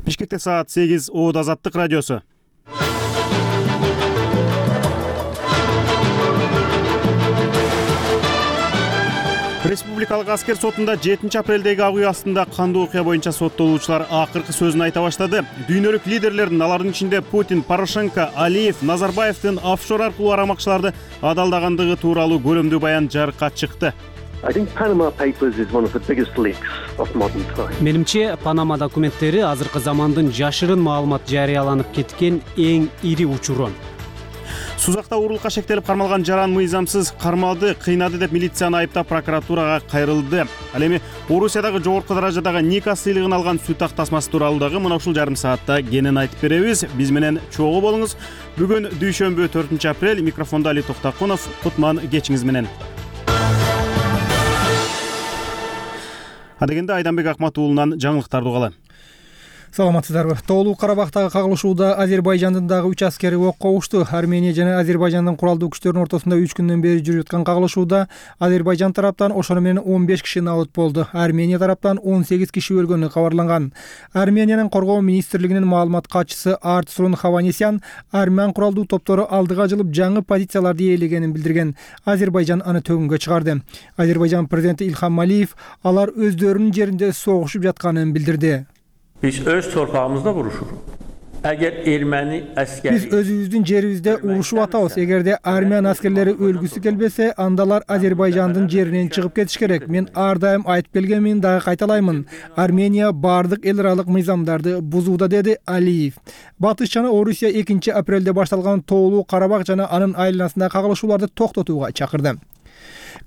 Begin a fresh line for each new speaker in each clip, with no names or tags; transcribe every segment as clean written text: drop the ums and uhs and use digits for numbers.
Бишкекте саат 8 ООД Азаттык радиосу. Республикалык аскер сотунда 7 апрелдеги акый астында кандуу окуя боюнча соттолуучулар акыркы сөзүн айта баштады. Дүйнөлүк лидерлердин, алардын ичинде Путин, Порошенко, Алиев, Назарбаевдин офшор аркылуу арамакчыларды адалдагандыгы тууралуу көлөмдүү баян жарыкка чыкты.
Менимче, Панама документтери азыркы замандын жашырын маалымат жарыяланып кеткен эң ири учуру.
Сузакта уурулукка шектелип кармалган жаран мыйзамсыз кармады, кыйнады деп милицияны айыптап прокуратурага кайрылды. Ал эми Орусиядагы жогорку даражадагы Ника сыйлыгын алган сүт ак тасмасы тууралуу дагы мына ушул жарым саатта кенен айтып беребиз. Биз менен чогуу болуңуз. Бүгүн дүйшөмбү 4 апрель, микрофондо Али Токтакунов, Кутман кечиңиз менен. Адегенде Айданбек Акмат уулунан жаңылыктарды угалы.
Саламатсыздарбы. Тоолуу Карабактагы кагылышууда Азербайжандын дагы 3 аскери окко ушту. Армения жана Азербайжандын куралдуу күчтөрүнүн ортосунда 3 күндөн бери жүрүп жаткан кагылышууда Азербайжан тараптан ошону менен 15 киши набыт болду. Армения тараптан 18 киши өлгөнү кабарланган. Армениянын коргоо министрлигинин маалымат катчысы Артсурун Хаванесян армян куралдуу топтору алдыга жылып жаңы позицияларды ээлегенин билдирген. Азербайжан аны төгүнгө чыгарды. Азербайжан президенти Илхам Алиев алар өздөрүнүн жеринде согушуп жатканын билдирди.
Biz öz torpağımızda vuruşuruq. Əgər erməni əskəri...
Biz özümüzdün jerimizde uruşup atабыз. Эгерде армян аскерлери өлгүсү келбесе, андалар Азербайжандын жеринен чыгып кетиш керек. Мен ар дайым айтып келгенмин, дагы кайталаймын. Армения бардык эл аралык мыйзамдарды бузууда, деди Алиев. Батыш жана Орусия 2 апрелде башталган Тоолуу Карабак жана анын айланасындагы кагылышууларды токтотууга чакырды.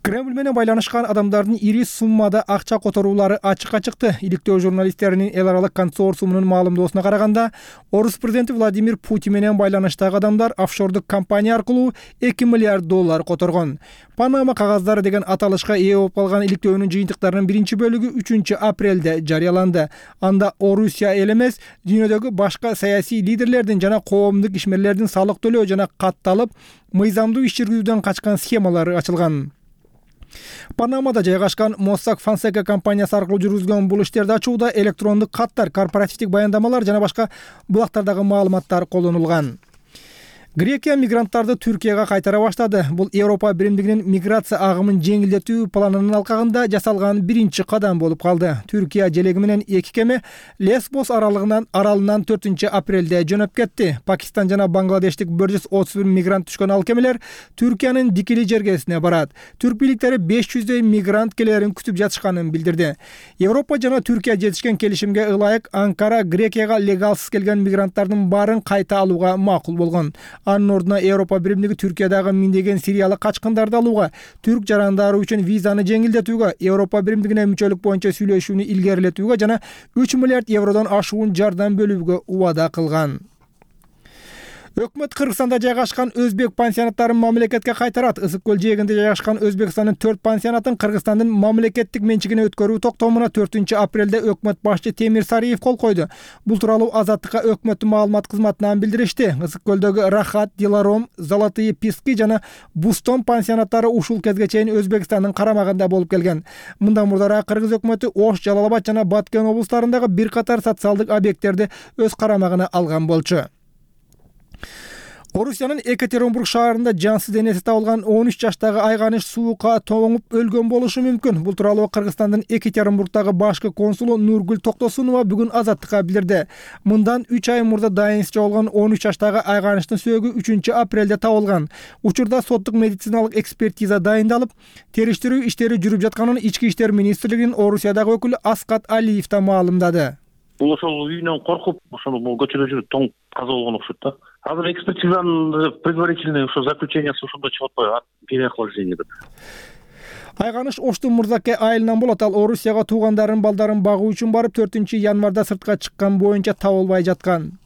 Кремль менен байланышкан адамдардын ири суммада акча которуулары ачыкка чыкты. Иликтөө журналисттеринин эл аралык консорциумунун маалымдоосуна караганда, Орус президенти Владимир Путин менен байланыштагы адамдар офшордук компания аркылуу $2 миллиард которгон. Панама кагаздары деген аталышка ээ болуп калган иликтөөнүн жыйынтыктарынын биринчи бөлүгү 3 апрелде жарыяланды. Анда Орусия эл эмес, дүйнөдөгү башка саясий лидерлердин жана коомдук ишмерлердин салык төлөө жана катталып, мыйзамдуу иш жүргүзүүдөн качкан схемалары ачылган. Панамада жайгашкан Mossack Fonseca компаниясы аркылуу жүргүзгөн бул иштерди ачууда электрондук каттар, корпоративдик баяндамалар жана башка булактардагы маалыматтар колдонулган. Грекия мигранттарды Түркияга кайтара баштады. Бул Европа биримдигинин миграция агымын жеңилдетүү планынын алкагында жасалган биринчи кадам болуп калды. Түркия желеги менен 2 кеме Лесбос аралынан 4 апрелде жөнөп кетти. Пакистан жана Бангладештик 131 мигрант түшкөн ал кемелер Түркиянын Дикили жергесине барат. Түрк бийликтери 500 мигрант келерин күтүп жатышканын билдирди. Европа жана Түркия жетишкен келишимге ылайык Анкара Грекияга легалсыз келген мигранттардын баарын кайта алууга макул болгон. Анын ордуна Европа биримдиги Түркиядагы миңдеген сириялык качкындарды алууга, түрк жарандары үчүн визаны жеңилдетүүгө, Европа биримдигине мүчөлүк боюнча сүйлөшүүнү илгерилетүүгө жана 3 миллиард евродон ашуун жардам бөлүүгө убада кылган. Өкмөт Кыргызстанда жайгашкан өзбек пансионаттарын мамлекетке кайтарат. Ысык көл жээгинде жайгашкан Өзбекстандын 4 пансионатын Кыргызстандын мамлекеттик менчигине өткөрүү токтомуна 4 апрелде өкмөт башчы Темир Сариев кол койду. Бул тууралуу Азаттыкка өкмөттүн маалымат кызматынан билдиришти. Ысык көлдөгү Рахат, Диларом, Золотые Пески жана Бустон пансионаттары ушул кезге чейин Өзбекстандын карамагында болуп келген. Мындан мурдараак Кыргыз өкмөтү Ош, Жалал-Абад жана Баткен облустарындагы бир катар социалдык объекттерди өз карамагына алган болчу. Орусиянын Екатеринбург шаарында жансыз денеси табылган 13 жаштагы айганыш суукка тоңуп өлгөн болушу мүмкүн. Бул тууралуу Кыргызстандын Екатеринбургдагы башкы консулу Нургүл Токтосунова бүгүн Азаттыкка билдирди. Мындан 3 ай мурда дайынсыз жоголгон 13 жаштагы айганыштын сөөгү 3 апрелде табылган. Учурда соттук медициналык экспертиза дайындалып, териштирүү иштери жүрүп жатканын Ички иштер министрлигинин Орусиядагы өкүлү Аскат Алиев да маалымдады.
Бул ошол үйүнөн коркуп, ошол көчөдө жүрүп тоң каза болгон окшойт да. Азыр экспертизанын предварительный ошо заключениясы ошондо чыгып атпайбы? Переохлаждение деп.
Айганыш Оштун Мурзаке айылынан болот. Ал Орусияга туугандарын балдарын багуу үчүн барып 4 январда сыртка чыккан боюнча табылбай жаткан.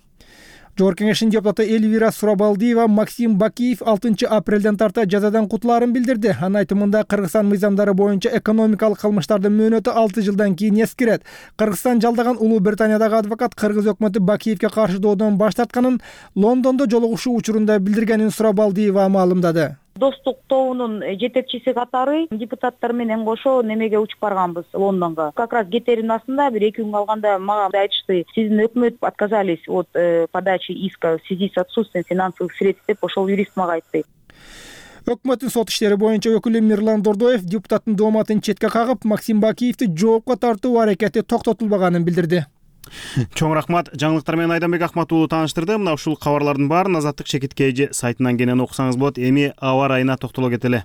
Жогорку кеңештин депутаты Эльвира Сурабалдиева Максим Бакиев 6 апрелден тарта жазадан кутулаарын билдирди. Анын айтымында Кыргызстан мыйзамдары боюнча экономикалык кылмыштардын мөөнөтү 6 жылдан кийин эскирет. Кыргызстан жалдаган Улуу Британиядагы адвокат Кыргыз өкмөтү Бакиевке каршы доодон баш тартканын Лондондо жолугушуу учурунда билдиргенин Сурабалдиева маалымдады.
Достук тобунун жетекчиси катары депутаттар менен кошо немеге учуп барганбыз Лондонго. Как раз кетерин астында бир 2 күн калганда мага айтышты: сиздин өкмөт отказались от подачи иска в связи с отсутствием финансовых средств деп ошол юрист мага айтты.
Өкмөттүн сот иштери боюнча өкүлү Мирлан Дордоев депутаттын дооматын четке кагып, Максим Бакиевди жоопко тартуу аракети токтотулбаганын билдирди.
Чоң рахмат. Жаңылыктар менен Айданбек Акмат уулу тааныштырды. Мына ушул кабарлардын баарын Азаттык Шекиткейжи сайтынан кенен окусаңыз болот. Эми аба ырайына токтоло кетели.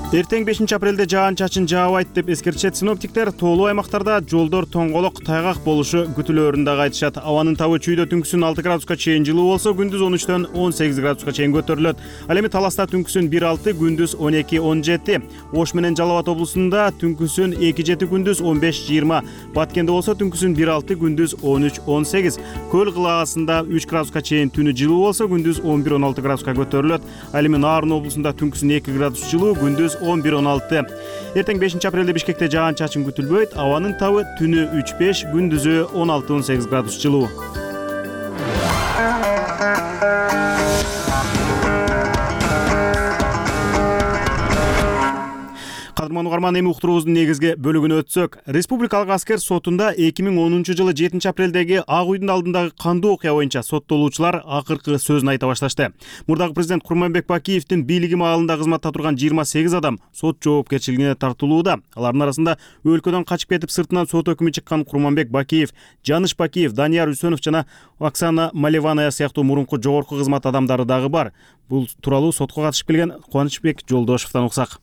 Эртең 5 апрелде жаан-чачын жаабайт деп эскертишет синоптиктер. Тоолуу аймактарда жолдор тоңголок, тайгак болушу күтүлөөрүн дагы айтышат. Абанын табы чүйдө түнкүсүн 6 градуска чейин жылуу болсо, күндүз 13-төн 18 градуска чейин көтөрүлөт. Ал эми Таласта түнкүсүн 1-6, күндүз 12-17. Ош менен Жалал Абад облусунда түнкүсүн 2-7, күндүз 15-20. Баткенде болсо түнкүсүн 1-6, күндүз 13-18. Көл кылагасында 3 градуска чейин түнү жылуу болсо, күндүз 11-16 градуска көтөрүлөт. Ал эми Нарын облусунда түнкүсүн 2 градус жылуу, күндүз 11-16. Эртең 5 апрелде Бишкекте жаан-чачын күтүлбөйт. Абанын табы түнү 3-5, күндүзү 16-18 градус жылуу. Кадырман угарман, эми уктуруубуздун негизги бөлүгүнө өтсөк, Республикалык аскер сотунда 2010 жылы 7 апрелдеги Ак Үйдүн алдындагы кандуу окуя боюнча соттолуучулар акыркы сөзүн айта башташты. Мурдагы президент Курманбек Бакиевдин бийлиги маалында кызматта турган 28 адам сот жоопкерчилигине тартылууда. Алардын арасында өлкөдөн качып кетип сыртынан сот өкүмү чыккан Курманбек Бакиев, Жаныш Бакиев, Данияр Үсөнов жана Оксана Малеваная сыяктуу мурунку жогорку кызмат адамдары дагы бар. Бул тууралуу сотко катышып келген Кубанычбек Жолдошевдон уксак.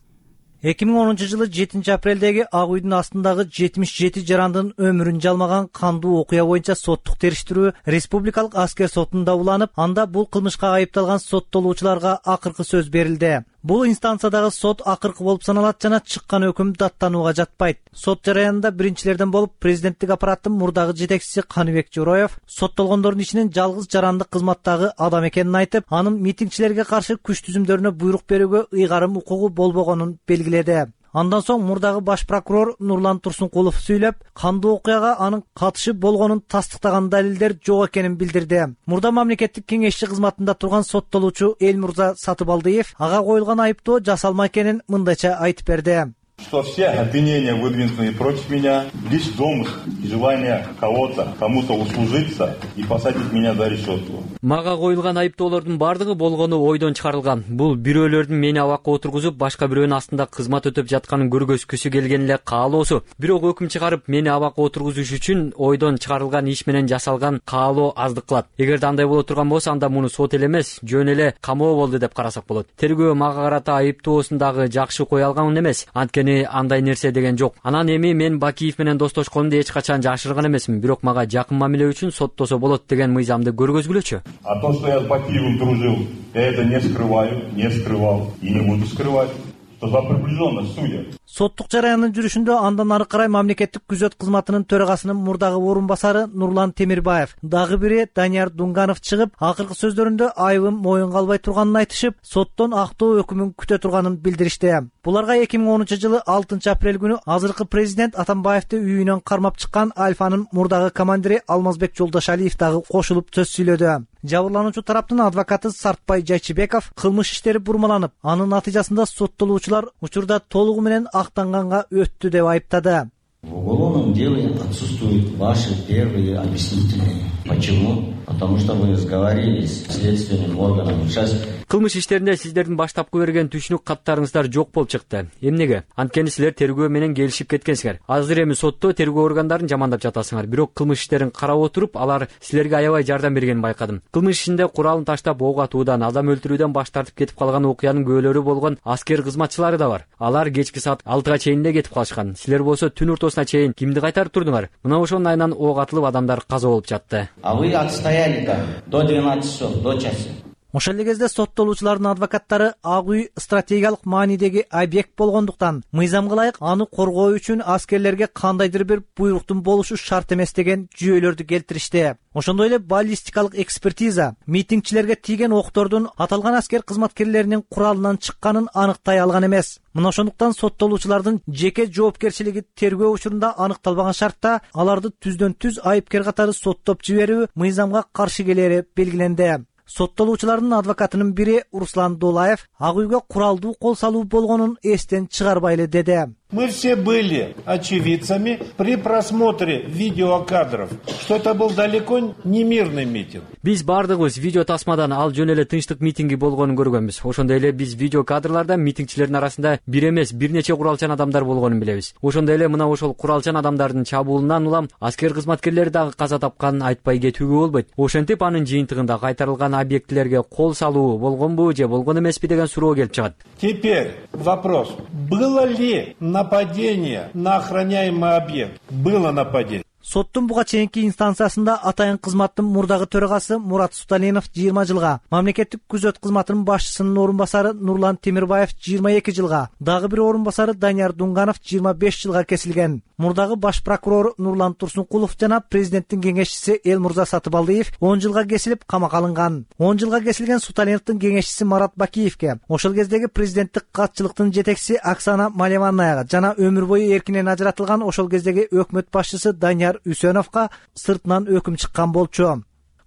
2010 жылы 7 апрелдеги Ак Үйдүн астындагы 77 жарандын өмүрүн жалмаган кандуу окуя боюнча соттук териштирүү Республикалык аскер сотунда уланып, анда бул кылмышка айыпталган соттолуучуларга акыркы сөз берилди. Бул инстанциядагы сот акыркы болуп саналат жана чыккан өкүм даттанууга жатпайт. Сот жараянында биринчилерден болуп президенттик аппараттын мурдагы жетекчиси Каныбек Жороев соттолгондордун ичинен жалгыз жарандык кызматтагы адам экенин айтып, анын митингчилерге каршы күч түзүмдөрүнө буйрук берүүгө ыйгарым укугу болбогонун белгиледи. Андан соң мурдагы баш прокурор Нурлан Турсункулов сүйлөп, кандуу окуяга анын катышы болгонун тастыктаган далилдер жок экенин билдирди. Мурда мамлекеттик кеңешчи кызматында турган соттолуучу Элмурза Сатыбалдиев ага коюлган айыптоо жасалма экенин мындайча айтып берди.
Что все обвинения, выдвинутые против меня, лишь домысл и желание кому-то услужиться и посадить меня за решетку.
Мага коюлган айыптоолордун бардыгы болгону ойдон чыгарылган. Бул бирөөлөрдүн мени абакка отургузуп, башка бирөөнүн астында кызмат өтөп жатканын көргөзгүсү келген эле каалоосу. Бирок өкүм чыгарып, мени абакка отургузуш үчүн ойдон чыгарылган иш менен жасалган каалоо аздык кылат. Эгерде андай боло турган болсо, анда муну сот эле эмес, жөн эле камоо болду деп карасак болот. Тергөө мага карата айыптоосун дагы жакшы кое алган эмес. Анткени андай нерсе деген жок. Анан эми мен Бакиев менен достошконумду эч качан жашырган эмесмин, бирок мага жакын мамиле үчүн соттосо болот деген мыйзамды көргөзгүлөчү.
А то, что я с Бакиевым дружил, я это не скрываю, не скрывал и не буду скрывать. Что за приближенность судя.
Соттук жараянын жүрүшүндө андан ары карай мамлекеттик күзөт кызматынын төрагасынын мурдагы орун басары Нурлан Темирбаев, дагы бири Данияр Дунганов чыгып, акыркы сөздөрүндө айыбым моюнга албай турганын айтышып, соттон актоо өкүмүн күтө турганын билдиришти. Буларга 2010 жылы 6 апрель күнү азыркы президент Атамбаевди үйүнөн кармап чыккан Альфанын мурдагы командири Алмазбек Жолдошалиев дагы кошулуп сөз сүйлөдү. Жабырлануучу тараптын адвокаты Сартбай Жайчыбеков кылмыш иштери бурмаланып, анын натыйжасында соттолуучулар учурда толугу менен актанганга өттү деп айыптады.
В уголовном деле отсутствуют ваши первые объяснительные. Почему? Потому что вы сговорились с следственным органом. Сейчас
кылмыш иштеринде сиздердин баштапкы берген түшүнүк каттарыңыздар жок болуп чыкты. Эмнеге? Анткени силер тергөө менен келишип кеткенсиңер. Азыр эми сотто тергөө органдарын жамандап жатасыңар. Бирок кылмыш иштерин карап отуруп, алар силерге аябай жардам бергенин байкадым. Кылмыш ишинде куралын таштап ок атуудан, адам өлтүрүүдөн баш тартып кетип калган окуянын күбөлөрү болгон аскер кызматчылары да бар. Алар кечки саат 6-га чейин эле кетип калышкан. Силер болсо түн ортосуна чейин кимди кайтарып турдуңар? Мына ошонун айынан ок атылып адамдар каза болуп жатты.
А вы отстояли там до 12 часов, до часа.
Ошол эле кезде соттолуучулардын адвокаттары Ак үй стратегиялык маанидеги объект болгондуктан мыйзамга ылайык аны коргоо үчүн аскерлерге кандайдыр бир буйруктун болушу шарт эмес деген жүйөлөрдү келтиришти. Ошондой эле баллистикалык экспертиза митингчилерге тийген октордун аталган аскер кызматкерлеринин куралынан чыкканын аныктай алган эмес. Мына ошондуктан соттолуучулардын жеке жоопкерчилиги тергөө учурунда аныкталбаган шартта аларды түздөн түз айыпкер катары соттоп жиберүү мыйзамга каршы келери белгиленди. Соттолуучулардын адвокатынын бири Руслан Дулаев Ак үйгө куралдуу кол салуу болгонун эстен чыгарбайлы деди.
Мы все были очевидцами при просмотре видеокадров, что это был далеко не мирный митинг.
Биз бардыгыбыз видео тасмадан ал жөн эле тынчтык митинги болгонун көргөнбүз. Ошондой эле биз видео кадрларда митингчилердин арасында бир эмес, бир нече куралчан адамдар болгонун билебиз. Ошондой эле мына ошол куралчан адамдардын чабуулунан улам аскер кызматкерлери дагы каза тапканын айтпай кетүүгө болбойт. Ошентип анын жыйынтыгында кайтарылган объектилерге кол салуу болгонбу же болгон эмеспи деген суроо келип чыгат.
Теперь вопрос. Было ли нападение на охраняемый объект? Было нападение.
Соттун буга чейинки инстанциясында атайын кызматтын мурдагы төрагасы Мурат Суталинов 20 жылга, мамлекеттик күзөт кызматынын башчысынын орун басары Нурлан Темирбаев 22 жылга, дагы бир орун басары Данияр Дунганов 25 жылга кесилген. Мурдагы баш прокурор Нурлан Турсункулов жана президенттин кеңешчиси Элмурза Сатыбалдиев 10 жылга кесилип камакка алынган. 10 жылга кесилген Суталиновдун кеңешчиси Марат Бакиевке, ошол кездеги президенттик катчылыктын жетекчиси Оксана Малеванаяга жана өмүр бою эркинен ажыратылган ошол кездеги өкмөт башчысы Данияр Үсөновго сыртынан өкүм чыккан болчу.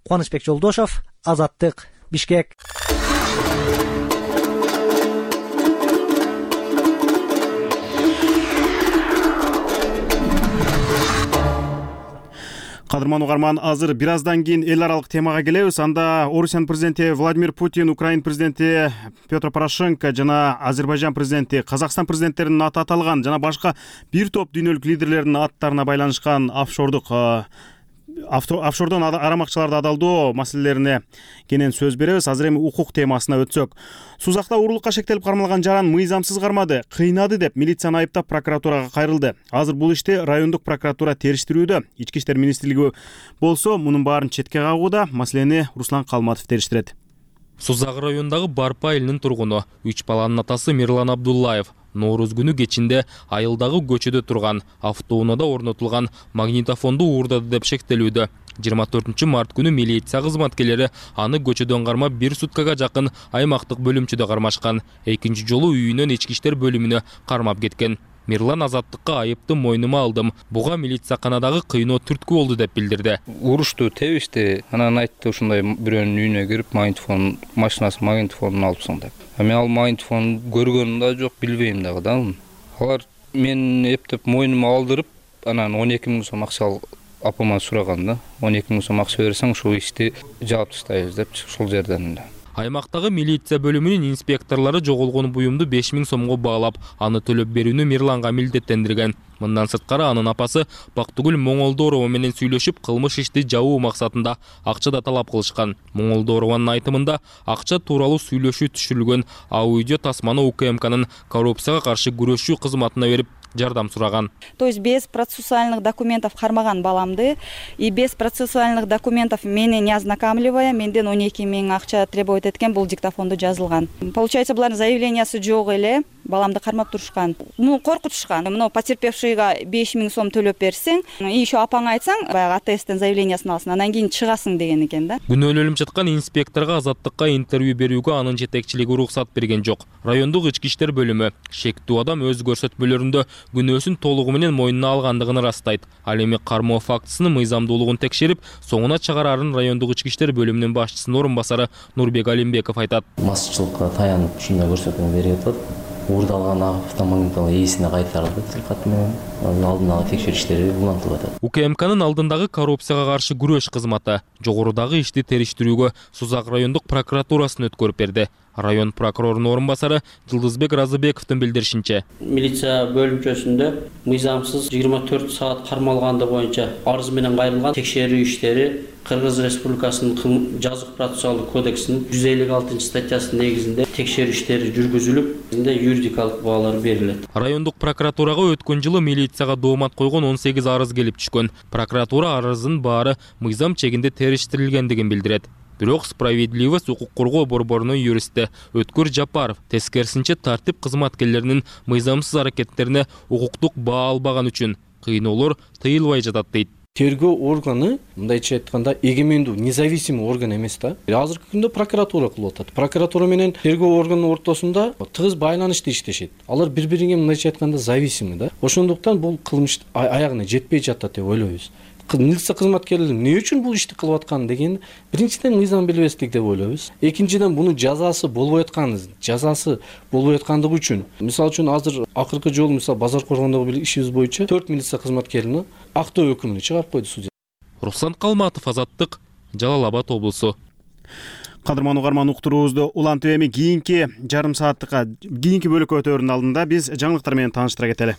Кубанычбек Жолдошов, Азаттык, Бишкек.
Кадырман угарман, азыр бир аздан кийин эл аралык темага келебиз. Анда Орусиянын президенти Владимир Путин, Украин президенти Петр Порошенко жана Азербайжан президенти, Казакстан президенттеринин аты аталган жана башка бир топ дүйнөлүк лидерлердин аттарына байланышкан офшордон арамакчыларды адалдоо маселелерине кенен сөз беребиз. Азыр эми укук темасына өтсөк. Сузакта уурулукка шектелип кармалган жаран мыйзамсыз кармады, кыйнады деп милицияны айыптап прокуратурага кайрылды. Азыр бул ишти райондук прокуратура териштирүүдө. Ички иштер министрлиги болсо мунун баарын четке кагууда. Маселени Руслан Калматов териштирет.
Сузак районундагы Барпа элинин тургуну 3 баланын атасы Мирлан Абдуллаев Нооруз күнү кечинде айылдагы көчөдө турган автоунаада орнотулган магнитофонду уурдады деп шектелүүдө. 24 март күнү милиция кызматкерлери аны көчөдөн кармап 1 суткага жакын аймактык бөлүмчөдө кармашкан. Экинчи жолу үйүнөн ички иштер бөлүмүнө кармап кеткен. Мирлан азаттыкка айыпты мойнума алдым. Буга милицияканадагы кыйноо түрткү болду деп билдирди.
Урушту, тебишти. Анан айтты ушундай бирөөнүн үйүнө кирип магнитофон, машинасы магнитофонун алыпсың деп. Мен ал магнитофон көргөнүм да жок, билбейм дагы да. Алар мен эптеп мойнума алдырып, анан 12 000 сом акча апама сураган да. 12 000 сом акча берсең ушул ишти жаап таштайбыз деп ушул жерден.
Аймактагы милиция бөлүмүнүн инспекторлору жоголгон буюмду 5 000 сомго баалап, аны төлөп берүүнү Мирланга милдеттендирген. Мындан сырткары анын апасы Бактыгүл Моңолдорова менен сүйлөшүп, кылмыш ишти жабуу максатында акча да талап кылышкан. Моңолдорованын айтымында акча тууралуу сүйлөшүү түшүрүлгөн аудио тасманы УКМКнын коррупцияга каршы күрөшүү кызматына берип жардам сураган.
То есть без процессуальных документов кармаган баламды и без процессуальных документов мени не ознакомливая, менден 12 000 акча требовать эткен бул диктофондо жазылган. Получается, булардын заявлениясы жок эле, баламды кармап турушкан. Коркутушкан. Мына потерпевшийга 5 000 сом төлөп берсең, и еще апаңа айтсаң, баягы АТСтен заявлениясын алсын, анан кийин чыгасың деген экен да.
Күнөөлөнүп жаткан инспекторго Азаттыкка интервью берүүгө анын жетекчилиги уруксат берген жок. Райондук ички иштер бөлүмү шектүү адам өз көрсөтмөлөрүндө күнөөсүн толугу менен мойнуна алгандыгын ырастайт. Ал эми кармоо фактысынын мыйзамдуулугун текшерип, соңуна чыгарарын райондук ички иштер бөлүмүнүн башчысынын орун басары Нурбек Алимбеков айтат.
Массчылыкка таянып ушундай көрсөтмө берип атат. Уурдалган автомагнитофон ээсине кайтарылды тилкат менен. Алдын ала текшерүү иштери улантылып атат.
УКМКнын алдындагы коррупцияга каршы күрөш кызматы жогорудагы ишти териштирүүгө Сузак райондук прокуратурасын өткөрүп берди. Район прокурорунун орун басары Жылдызбек Разыбековдун билдиришинче,
милиция бөлүмчөсүндө мыйзамсыз 24 саат кармалгандыгы боюнча арыз менен кайрылган текшерүү иштери Кыргыз Республикасынын жазык процессуалдык кодексинин 156 статьясынын негизинде текшерүү иштери жүргүзүлүп, юридикалык баалар берилет.
Райондук прокуратурага өткөн жылы милицияга доомат койгон 18 арыз келип түшкөн. Прокуратура арыздын баары мыйзам чегинде териштирилгендигин билдирет. Бирок Справедливость укук коргоо борборунун юристи Өткөр Жапаров тескерисинче тартип кызматкерлеринин мыйзамсыз аракеттерине укуктук баа албаган үчүн кыйноолор тыйылбай жатат дейт.
Тергөө органы мындайча айтканда эгемендүү, независимый орган эмес да. Азыркы күндө прокуратура кылып атат. Прокуратура менен тергөө органынын ортосунда тыгыз байланышта иштешет. Алар бири-бирине мындайча айтканда зависимый да. Ошондуктан бул кылмыш аягына жетпей жатат деп ойлойбуз. Милиция кызматкерлери эмне үчүн бул ишти кылып аткан деген биринчиден мыйзам билбестик деп ойлойбуз. Экинчиден мунун жазасы болбой аткандыгы үчүн. Мисалы үчүн азыр акыркы жолу базар коргондогу бир ишибиз боюнча 4 милиция кызматкерини актоо өкүмүн чыгарып койду судья.
Руслан Калматов, Азаттык, Жалал Абад облусу.
Кадырман угарман, уктуруубузду улантып эми кийинки жарым сааттыкка кийинки бөлүккө өтөөрүнүн алдында биз жаңылыктар менен тааныштыра кетели.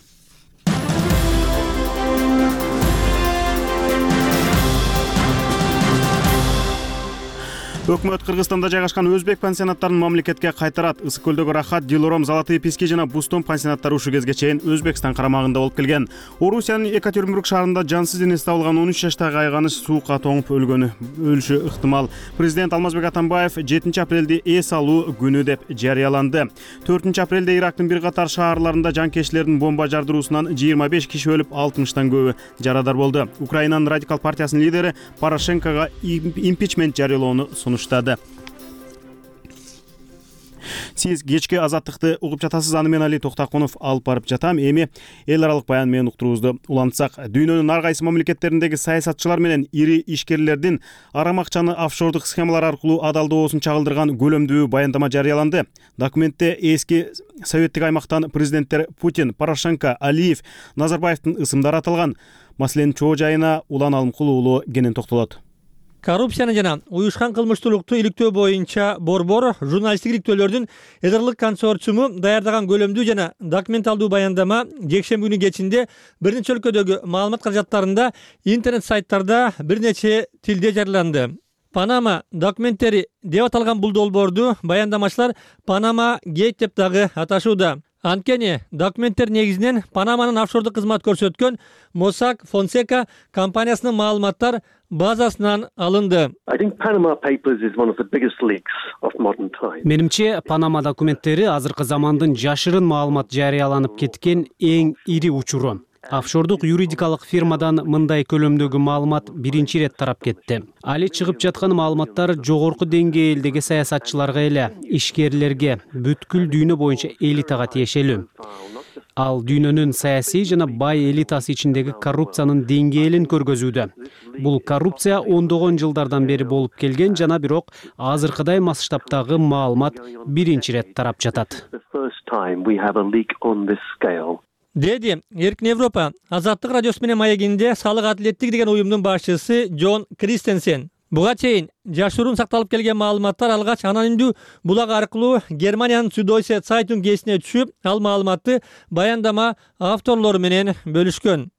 Өкмөт Кыргызстанда жайгашкан өзбек пансионаттарын мамлекетке кайтарат. Ысык көлдөгү Рахат, Дилором, Золотые пески жана Бустон пансионаттары ушул кезге чейин Өзбекстан карамагында болуп келген. Орусиянын Екатеринбург шаарында жансыз денеси табылган 13 жаштагы айганыч суукка тоңуп өлүшү ыктымал. Президент Алмазбек Атамбаев 7 апрелди эс алуу күнү деп жарыяланды. 4 апрелде Ирактын бир катар шаарларында жанкечилердин бомба жардыруусунан 25 киши өлүп, 60тан көбү жарадар болду. Украинанын радикал партиясынын лидери Порошенкого импичмент жарыялоону сунуштады. Сиз кечки Азаттыкты угуп жатасыз. Аны мен Али Токтакунов алып барып жатам. Эми эл аралык баян менен уктуруубузду улантсак, дүйнөнүн ар кайсы мамлекеттериндеги саясатчылар менен ири ишкерлердин арам акчаны офшордук схемалар аркылуу адалдоосун чагылдырган көлөмдүү баяндама жарыяланды. Документте эски советтик аймактан президенттер Путин, Порошенко, Алиев, Назарбаевдин ысымдары аталган. Маселенин чоо жайына Улан Алымкул уулу кенен токтолот.
Коррупцияны жана уюшкан кылмыштуулукту иликтөө боюнча борбор журналисттик иликтөөлөрдүн эдерлик консорциуму даярдаган көлөмдүү жана документалдуу баяндама жекшемби күнү кечинде бир нече өлкөдөгү маалымат каражаттарында, интернет сайттарда бир нече тилде жарыяланды. Панама документтери деп аталган бул долбоорду баяндамачылар Панама Гейт деп дагы аташууда. Анткени документтер негизинен Панаманын офшордук кызмат көрсөткөн Mossack Fonseca компаниясынын маалыматтар базасынан алынды.
Менимче, Панама документтери азыркы замандын жашырын маалымат жарыяланып кеткен эң ири учуру. Офшордук юридикалык фирмадан мындай көлөмдөгү маалымат биринчи ирет тарап кетти. Али чыгып жаткан маалыматтар жогорку деңгээлдеги саясатчыларга эле, ишкерлерге, бүткүл дүйнө боюнча элитага тиешелүү. Ал дүйнөнүн саясий жана бай элитасы ичиндеги коррупциянын деңгээлин көргөзүүдө. Бул коррупция ондогон жылдардан бери болуп келген жана бирок азыркыдай масштабтагы маалымат биринчи ирет тарап жатат.
Деди Эркин Европа Азаттык радиосу менен маегинде салык адилеттик деген уюмдун башчысы Джон Кристенсен. Буга чейин жашыруун сакталып келген маалыматтар алгач анонимдүү булак аркылуу Германиянын Süddeutsche Zeitung гезитине түшүп, ал маалыматты баяндама авторлору менен бөлүшкөн.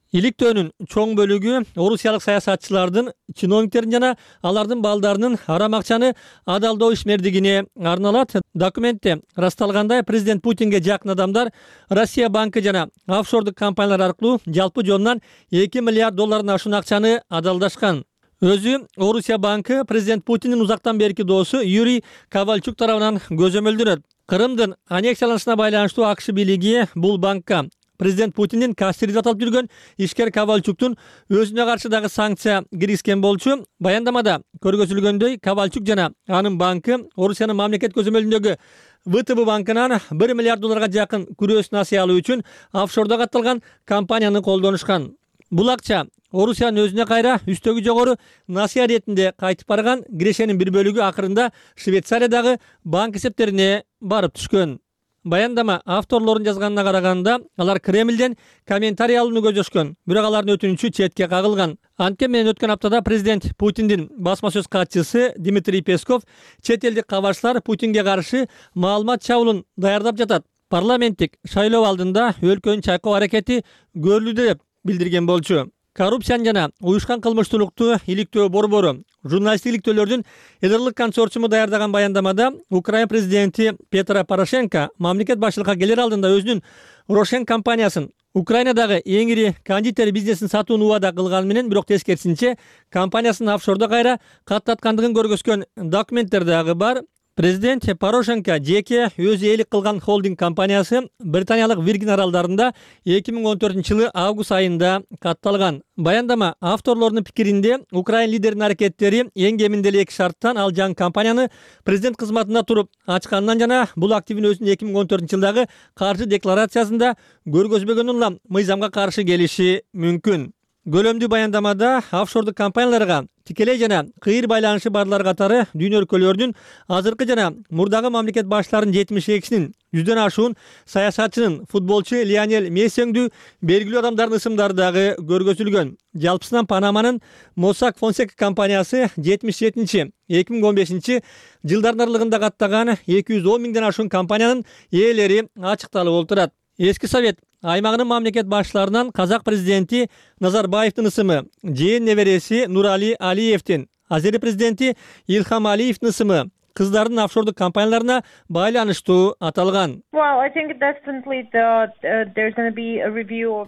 Иликтөөнүн чоң бөлүгү орусиялык саясатчылардын, чиновниктердин жана алардын балдарынын арам акчаны адалдоо ишмердигине арналат. Документте расталгандай, президент Путинге жакын адамдар Россия банкы жана офшордук компаниялар аркылуу жалпы жонунан 2 миллиард доллардан ашуун акчаны адалдашкан. Өзү Орусия банкы президент Путиндин узактан берки доосу Юрий Ковальчук тарабынан көзөмөлдөнөт. Кырымдын аннексияланышына байланыштуу АКШ бийлиги бул банкка президент Путиндин кассири деп аталып жүргөн ишкер Ковальчуктун өзүнө каршы дагы санкция киргизген болчу. Баяндамада көргөзүлгөндөй, Ковальчук жана анын банкы Орусиянын мамлекет көзөмөлүндөгү ВТБ банкынан 1 миллиард долларга жакын күрөс насыя алуу үчүн офшордо катталган компанияны колдонушкан. Бул акча Орусиянын өзүнө кайра үстөгү жогору насыя иретинде кайтып барган. Кирешенин бир бөлүгү акырында Швейцариядагы банк эсептерине барып түшкөн. Баяндама авторлорун жазганына караганда, алар Кремлден комментарий алууну көздөшкөн, бирок алардын өтүнүчү четке кагылган. Анткени менен өткөн аптада президент Путиндин басма сөз катчысы Дмитрий Песков чет элдик кабарчылар Путинге каршы маалымат чабуулун даярдап жатат. Парламенттик шайлоо алдында өлкөнүн чайкоо аракети көрүлүүдө деп билдирген болчу. Коррупцияны жана уюшкан кылмыштуулукту иликтөө борбору журналисттик иликтөөлөрдүн эдерлик консорциуму даярдаган баяндамада Украина президенти Петро Порошенко мамлекет башчылыкка келер алдында өзүнүн Рошен компаниясын Украинадагы эң ири кондитер бизнесин сатууну убада кылганы менен, бирок тескерисинче компаниясынын офшордо кайра каттаткандыгын көргөзгөн документтер дагы бар. Президент Порошенко жеке өзү ээлик кылган холдинг компаниясы Британиялык Виргин аралдарында 2014-жылы август айында катталган. Баяндама авторлорунун пикиринде Украин лидеринин аракеттери эң кеминде 2 шарттан ал жаңы компанияны президент кызматында туруп ачканынан жана бул активин өзүнүн 2014-жылдагы каржы декларациясында көргөзбөгөнүн улам мыйзамга каршы келиши мүмкүн. Көлөмдүү баяндамада офшордук компанияларга тикелей жана кыйыр байланышы барлар катары дүйнө өлкөлөрүнүн азыркы жана мурдагы мамлекет башчыларынын 72-синин 100дөн ашуун саясатчынын футболчу Лионель Мессиңдүү белгилүү адамдардын ысымдары дагы көргөзүлгөн. Жалпысынан Панаманын Mossack Fonseca компаниясы 77-2015 жылдардын аралыгында каттаган 210 миңден ашуун компаниянын ээлери ачыкталып отурат. Эски Совет аймагынын мамлекет башчыларынан казак президенти Назарбаевдин ысымы, жээн небереси Нурали Алиевдин, Азери президенти Илхам Алиевдин ысымы кыздардын офшордук компанияларына байланыштуу аталган.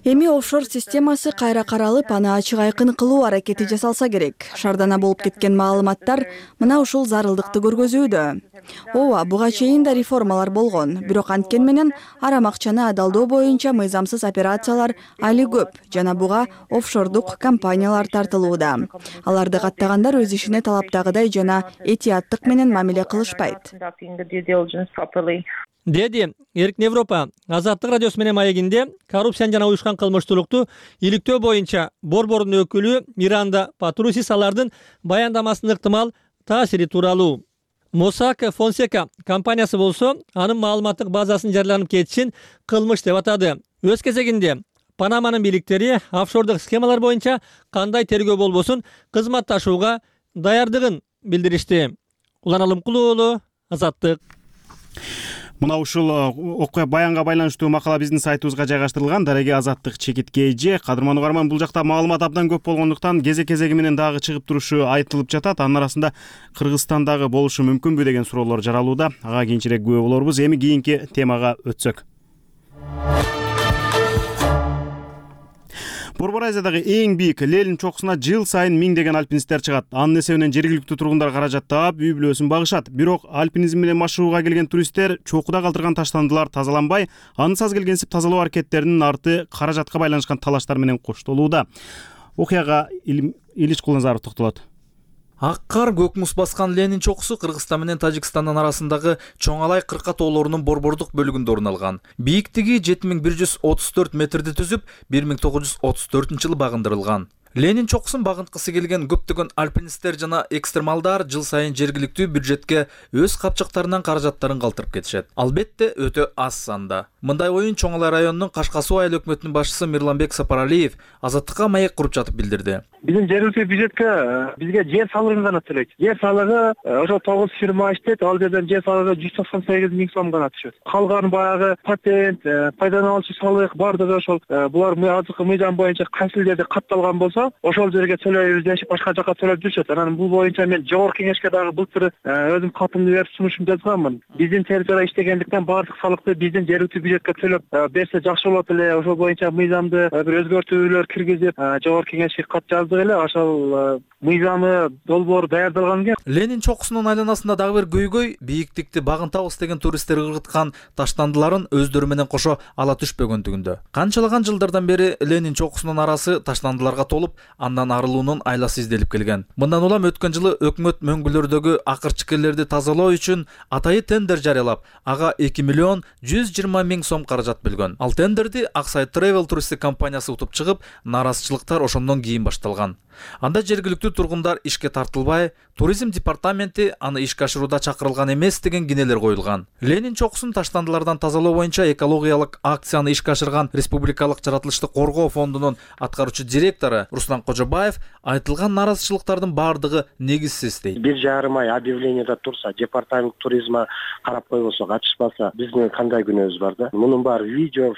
Эми офшор системасы кайра каралып, аны ачык айкын кылуу аракети жасалса керек. Шардана болуп кеткен маалыматтар мына ушул зарылдыкты көргөзүүдө. Ооба, буга чейин да реформалар болгон, бирок анткен менен арам акчаны адалдоо боюнча мыйзамсыз операциялар али көп жана буга офшордук компаниялар тартылууда. Аларды каттагандар өз ишине талаптагыдай жана этияттык менен мамиле кылышпайт.
Деди Эркин Европа Азаттык радиосу менен маегинде коррупцияны жана уюшкан кылмыштуулукту иликтөө боюнча борбордун өкүлү Миранда Патрусис алардын баяндамасынын ыктымал таасири тууралуу. Mossack Fonseca компаниясы болсо анын маалыматтык базасынын жарыяланып кетишин кылмыш деп атады. Өз кезегинде Панаманын бийликтери офшордук схемалар боюнча кандай тергөө болбосун кызматташууга даярдыгын билдиришти. Улан Алымкулуу уулу, Азаттык.
Мына ушул окуя баянга байланыштуу макала биздин сайтыбызга жайгаштырылган. Дареги Азаттык чекитке эже. Кадырман угарман, бул жакта маалымат абдан көп болгондуктан кезек-кезеги менен дагы чыгып турушу айтылып жатат. Анын арасында Кыргызстандагы болушу мүмкүнбү деген суроолор жаралууда. Ага кийинчерээк күбө болорбуз. Эми кийинки темага өтсөк. Борбор Азиядагы эң бийик Ленин чокусуна жыл сайын миңдеген альпинисттер чыгат. Анын эсебинен жергиликтүү тургундар каражат таап, үй бүлөсүн багышат. Бирок альпинизм менен машыгууга келген туристтер чокуда калтырган таштандылар тазаланбай, ансыз келгенсип тазалоо аракеттеринин арты каражатка байланышкан талаштар менен коштолууда. Окуяга Илич Кулназаров токтолот.
Ак кар, көк муз баскан Ленин чокусу Кыргызстан менен Тажикстандын арасындагы Чоңалай кырка тоолорунун борбордук бөлүгүндө орун алган. Бийиктиги 7134 метрди түзүп, 1934-жылы багындырылган. Ленин чокусун багынткысы келген көптөгөн альпинисттер жана экстремалдар жыл сайын жергиликтүү бюджетке өз капчыктарынан каражаттарын калтырып кетишет. Албетте өтө аз санда. Мындай оюн Чоңалай районунун Кашка суу айыл өкмөтүнүн башчысы Мирланбек Сапаралиев Азаттыкка маек куруп жатып билдирди.
Биздин жергиликтүү бюджетке бизге жер салыгын гана төлөйт. Жер салыгы ошо 9 фирма иштейт, ал жерден жер салыгы 198 миң сом гана түшөт. Калган баягы патент, пайдалануучу салык бардыгы ошол булар азыркы мыйзам боюнча кайсы жерде катталган болсо, ошол жерге төлөйбүз дешип башка жака төлөп жүрүшөт. Анан бул боюнча мен жогорку кеңешке дагы былтыр өзүм катымды берип сунушум жазганмын. Биздин территорияда иштегендиктен баардык салыкты биздин жергиликтүү бюджетке төлөп берсе жакшы болот эле. Ошол боюнча мыйзамды бир өзгөртүүлөр киргизип жогорку кеңешке кат жаздык эле. Ошол мыйзамы долбоор даярдалган экен.
Ленин чокусунун айланасында дагы бир көйгөй бийиктикти багынтабыз деген туристтер ыргыткан таштандыларын өздөрү менен кошо ала түшпөгөндүгүндө. Канчалаган жылдардан бери Ленин чокусунун арасы таштандыларга толуп, андан арылуунун айласы изделип келген. Мындан улам өткөн жылы өкмөт мөңгүлөрдөгү акырчыкерлерди тазалоо үчүн атайы тендер жарыялап, ага 2 миллион 120 миң сом каражат бөлгөн. Ал тендерди Аксай Travel туристтик компаниясы утуп чыгып, нааразычылыктар ошондон кийин башталган. Анда жергиликтүү тургундар ишке тартылбай, туризм департаменти аны ишке ашырууда чакырылган эмес деген кинелер коюлган. Ленин чокусун таштандылардан тазалоо боюнча экологиялык акцияны ишке ашырган Республикалык жаратылышты коргоо фондунун аткаруучу директору Руслан Кожобаев айтылган наразычылыктардын баардыгы негизсиз дейт.
1,5 ай объявлениеда турса, департамент туризма карап койбосо, ачышпаса, биздин кандай күнөөбүз бар да? Мунун баары видео,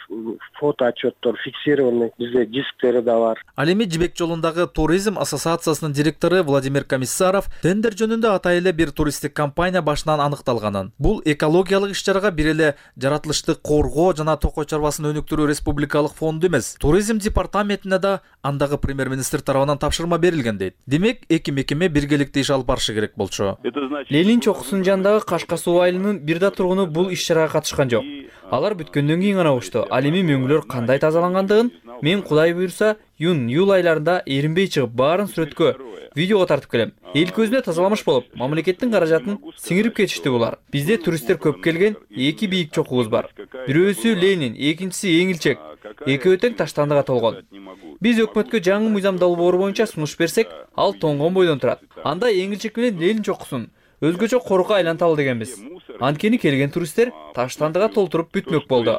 фото отчеттор фиксированный, бизде дисктери да бар.
Ал эми Жибек жолундагы туризм ассоциациясынын директору Владимир Комиссаров тендер жөнүндө ата эле бир туристтик компания башынан аныкталганын. Бул экологиялык иш-чарага бир эле жаратылышты коргоо жана токой чарбасын өнүктүрүү республикалык фонду эмес, туризм департаментине да андагы премьер-министр тарабынан тапшырма берилген дейт. Демек, эки мекеме биргеликте иш алып барышы керек болчу.
Ленин чокусунун жанындагы Кашка суу айылынын бир да тургуну бул иш-чарага катышкан жок. Алар бүткөндөн кийин гана укту. Ал эми мөңгүлөр кандай тазалангандыгын мен Кудай буйрса июнь-июль айларында эринбей чыгып баарын сүрөткө, видеого тартып келем. Эл көзүнө тазаламыш болуп, мамлекеттин каражатын сиңирип кетишти булар. Бизде туристтер көп келген, эки бийик чокубуз бар. Бирөөсү Ленин, экинчиси Эңилчек. Экөө тең таштандыга толгон. Биз өкмөткө жаңы мыйзам долбоору боюнча сунуш берсек, ал тоңгон бойдон турат. Анда Эңилчек менен Ленин чокусун өзгөчө корукка айланталы дегенбиз. Анткени келген туристтер таштандыга толтуруп бүтмөк болду.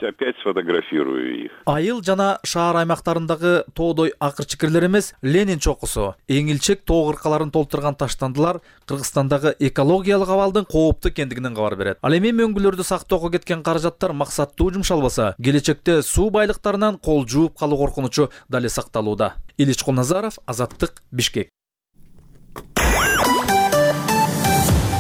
Айыл жана шаар аймактарындагы тоодой акырчыкирлер эмес, Ленин чокусу, Эңилчек тоо кыркаларын толтурган таштандылар Кыргызстандагы экологиялык абалдын кооптуу экендигинен кабар берет. Ал эми мөңгүлөрдү сактоого кеткен каражаттар максаттуу жумшалбаса, келечекте суу байлыктарынан кол жууп калуу коркунучу дали сакталууда. Илич Кулназаров, Азаттык, Бишкек.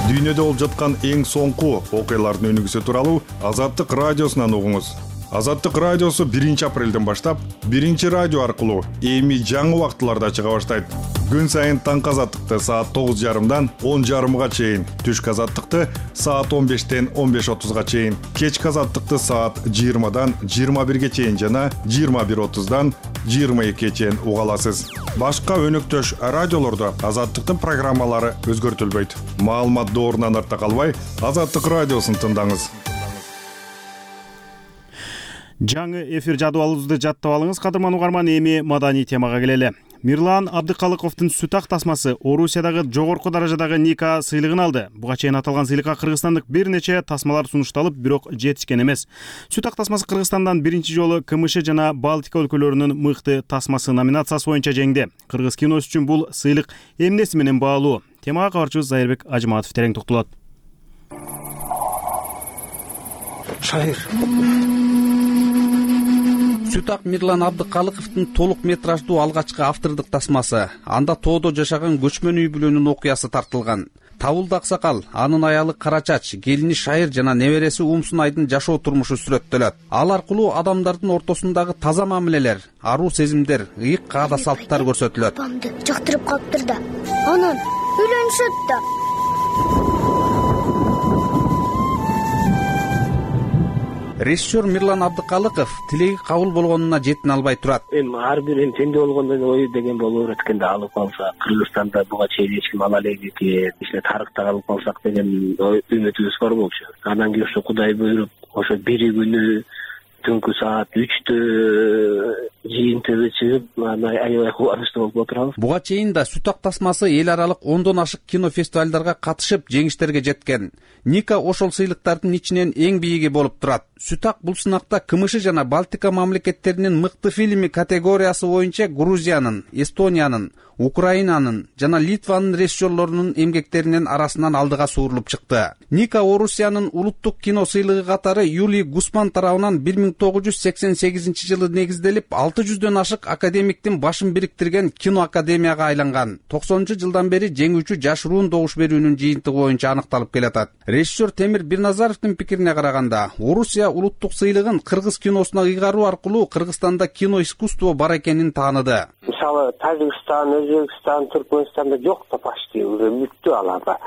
Дүйнөдө болуп жаткан эң соңку окуялардын өнүгүүсү тууралуу Азаттык радиосунан угуңуз. Азаттык радиосу 1-апрелден баштап 1-радио аркылуу эми жаңы убактыларда чыга баштайт. Күн сайын таңкы азаттыкты саат 9:30дан 10:30га чейин, түшкү азаттыкты саат 15-тен 15:30га чейин, кечки азаттыкты саат 20-дан 21-ге чейин жана 21:30дан 22-ге чейин уга аласыз. Башка өнөктөш радиолордо азаттыктын программалары өзгөртүлбөйт. Маалымат доорунан артта калбай, Азаттык радиосун тыңдаңыз.
Жаңы эфир жадыбалыбызды жаттап алыңыз, кадырман угарман. Эми маданий темага келели. Мирлан Абдыкалыковдун сүт ак тасмасы Орусиядагы жогорку даражадагы Ника сыйлыгын алды. Буга чейин аталган сыйлыкка кыргызстандык бир нече тасмалар сунушталып, бирок жетишкен эмес. Сүт ак тасмасы Кыргызстандан биринчи жолу КМШ жана Балтика өлкөлөрүнүн мыкты тасмасы номинациясы боюнча жеңди. Кыргыз киносы үчүн бул сыйлык эмнеси менен баалуу? Темага кабарчыбыз Зайырбек Ажыматов терең токтолот.
Шайыр. Сүт ак Мирлан Абдыкалыковдун толук метраждуу алгачкы автордук тасмасы. Анда тоодо жашаган көчмөн үй бүлөнүн окуясы тартылган. Табылды аксакал, анын аялы Карачач, келини Шайыр жана небереси Умсунайдын жашоо турмушу сүрөттөлөт. Ал аркылуу адамдардын ортосундагы таза мамилелер, аруу сезимдер, ыйык каада салттар көрсөтүлөт.
Жактырып калыптыр да. Анан үйлөнүшөт да.
Режиссер Мирлан Абдыкалыков тилеги кабыл болгонуна жетін албай турат.
Эми ар бирин теңдүү болгондон ой деген болуп эткенде алып калса, Кыргызстанда буга чейин эч ким ала элек экен, ишне тарыхта калып калсак деген үмүтүбүз бар болчу. Анан кийин ошо Кудай буйруп, ошо бири күнү түнкү саат 3-тө жыйынтыгы чыгып, аябай кубанычтуу болуп отурабыз.
Буга чейин да сүт ак тасмасы эл аралык 10дон ашык кино фестивалдарга катышып, жеңиштерге жеткен. Ника ошол сыйлыктардын ичинен эң бийиги болуп турат. Сүт ак бул сынакта КМШ жана Балтика мамлекеттеринин мыкты фильми категориясы боюнча Грузиянын, Эстониянын, Украинанын жана Литванын режиссерлорунун эмгектеринин арасынан алдыга суурулуп чыкты. Ника Орусиянын улуттук кино сыйлыгы катары Юлий Гусман тарабынан 1988-жылы негизделип, 600дөн ашык академиктин башын бириктирген кино академияга айланган. 90-жылдан бери жеңүүчү жашыруун добуш берүүнүн жыйынтыгы боюнча аныкталып келатат. Режиссер Темир Бирназаровдун пикирине караганда, Орусия улуттук сыйлыгын кыргыз киносуна ыйгаруу аркылуу Кыргызстанда кино искусство бар экенин тааныды.
Мисалы Тажикстан, Өзбекстан, Түркмөнстанда жок да почти уже бүттү аларда.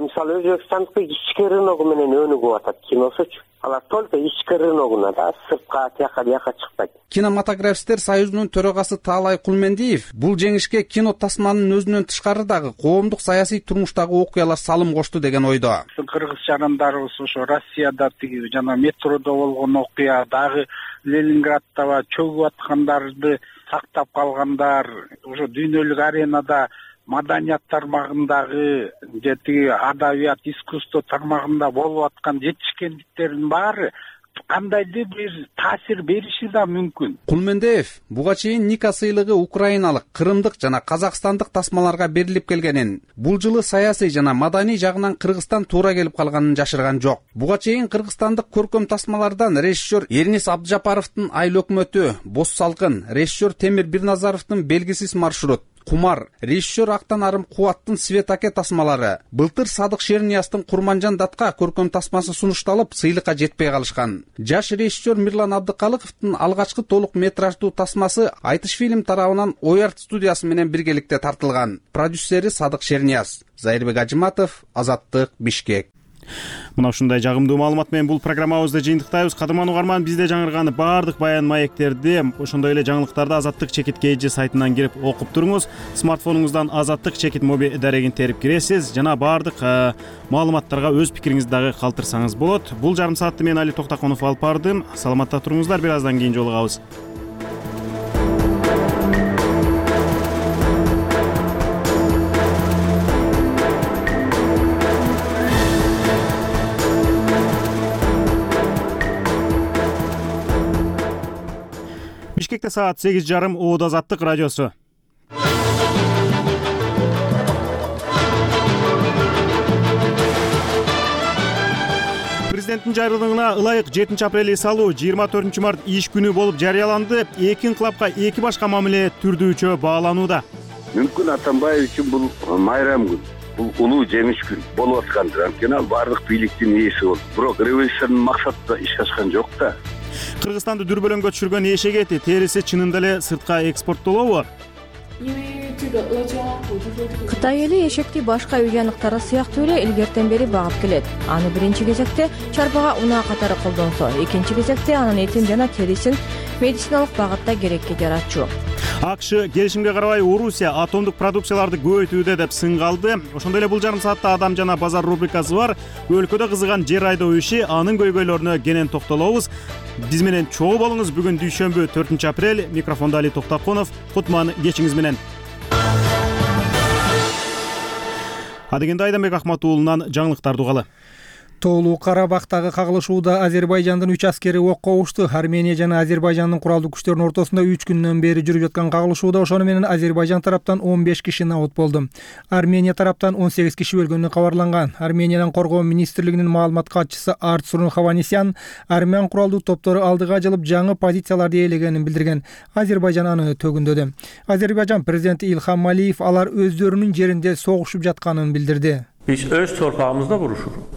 Мисалы Өзбекстандыкы ички рыногу менен өнүгүп атат киносучу. Алар только ички рыногуна да, сыртка тияка чыкпайт.
Кинематографисттер союзунун төрагасы Таалай Кулмендиев бул жеңишке кино тасманын өзүнөн тышкарыдагы коомдук саясий турмуштагы окуялар салым кошту деген ойдо.
Кыргыз жарандарыбыз ошо Россияда тиги жана метродо болгон окуя, дагы Ленинградда чөгүп аткандарды сактап калгандар, ошо дүйнөлүк аренада маданият тармагындагы же тиги адабият, искусство тармагында болуп аткан жетишкендиктердин баары кандайдыр бир таасир бериши да мүмкүн.
Кулмендеев буга чейин Ника сыйлыгы украиналык, кырымдык жана казакстандык тасмаларга берилип келгенин, бул жылы саясий жана маданий жагынан Кыргызстан туура келип калганын жашырган жок. Буга чейин кыргызстандык көркөм тасмалардан режиссер Эрнис Абдыжапаровдун Айыл өкмөтү, Боз салкын, режиссер Темир Бирназаровдун Белгисиз маршрут, Кумар, режиссер Актан Арым Кубаттын Свет аке тасмалары, былтыр Садык Шернияздын Курманжан датка көркөм тасмасы сунушталып, сыйлыкка жетпей калышкан. Жаш режиссер Мирлан Абдыкалыковдун алгачкы толук метраждуу тасмасы Айтыш фильм тарабынан Оярт студиясы менен биргеликте тартылган. Продюсери Садык Шернияз. Зайырбек Ажыматов, Азаттык, Бишкек.
Мына ушундай жагымдуу маалымат менен бул программабызды жыйынтыктайбыз. Кадырман угарман, бизде жаңырган баардык баян маектерди, ошондой эле жаңылыктарды Азаттык чекит KG сайтынан кирип окуп туруңуз. Смартфонуңуздан Азаттык чекит моби дарегин терип киресиз жана баардык маалыматтарга өз пикириңизди дагы калтырсаңыз болот. Бул жарым саатты мен Али Токтаконов алып бардым. Саламатта туруңуздар, бир аздан кийин жолугабыз. Бишкекте саат 8:30, Оодо Азаттык радиосу. Президенттин жайрылыгына ылайык 7 апрель эс алуу 24 март иш күнү болуп жарыяланды. Эки инкылапка эки башка мамиле түрдүүчө бааланууда.
Мүмкүн Атамбаев үчүн бул майрам күн, бул улуу жемиш күн болуп аткандыр. Анткени ал баардык бийликтин ээси болду. Бирок революциянын максатында иш ачкан жок да.
Кыргызстанды дүрбөлөңгө түшүргөн эшеги эти терisi чынында эле сыртка экспорттолобу?
Кытай эли эшекти башка үй жаныктары сыяктуу эле илгертен бери багып келет. Аны биринчи кезекте чарбага унаа катары колдонсо, экинчи кезекте анын этин жана терисин медициналык багытта керекке жаратчу.
АКШ келишимге карабай Орусия атомдук продукцияларды көбөйтүүдө деп сынга алды. Ошондой эле бул жарым саатта Адам жана базар рубрикасы бар. Өлкөдө кызыган жер айдоо иши, анын көйгөйлөрүнө кенен токтолобуз. Биз менен чогуу болуңуз. Бүгүн дүйшөмбү 4 апрель. Микрофонда Али Токтаконов. Кутман кечиңиз менен. Адегенде Айданбек Ахматуулунан жаңылыктарды угалы.
Тоолуу Карабактагы кагылышууда Азербайжандын 3 аскери окко ушту. Армения жана Азербайжандын куралдуу күчтөрүнүн ортосунда 3 күндөн бери жүрүп жаткан кагылышууда ошону менен Азербайжан тараптан 15 киши набыт болду. Армения тараптан 18 киши өлгөнү кабарланган. Армениянын коргоо министрлигинин маалымат катчысы Арцурун Хаванисян армян куралдуу топтору алдыга жылып жаңы позицияларды ээлегенин билдирген. Азербайжан аны төгүндөдү. Азербайжан президенти Илхам Алиев алар өздөрүнүн жеринде согушуп жатканын билдирди.
Биз өз торпагыбызда урушурuz.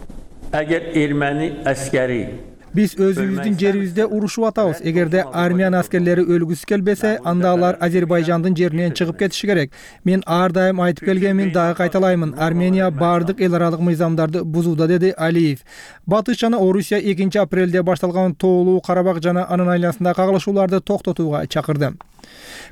Eğer Ermeni askeri
Биз өзүбүздүн жерибизде урушуп атабыз. Эгерде армян аскерлери өлгүсү келбесе, анда алар Азербайжандын жеринен чыгып кетиши керек. Мен ар дайым айтып келгенмин, дагы кайталаймын. Армения бардык эл аралык мыйзамдарды бузууда, деди Алиев. Батыш жана Орусия 2 апрелде башталган Тоолуу Карабак жана анын айланасындагы кагылышууларды токтотууга чакырды.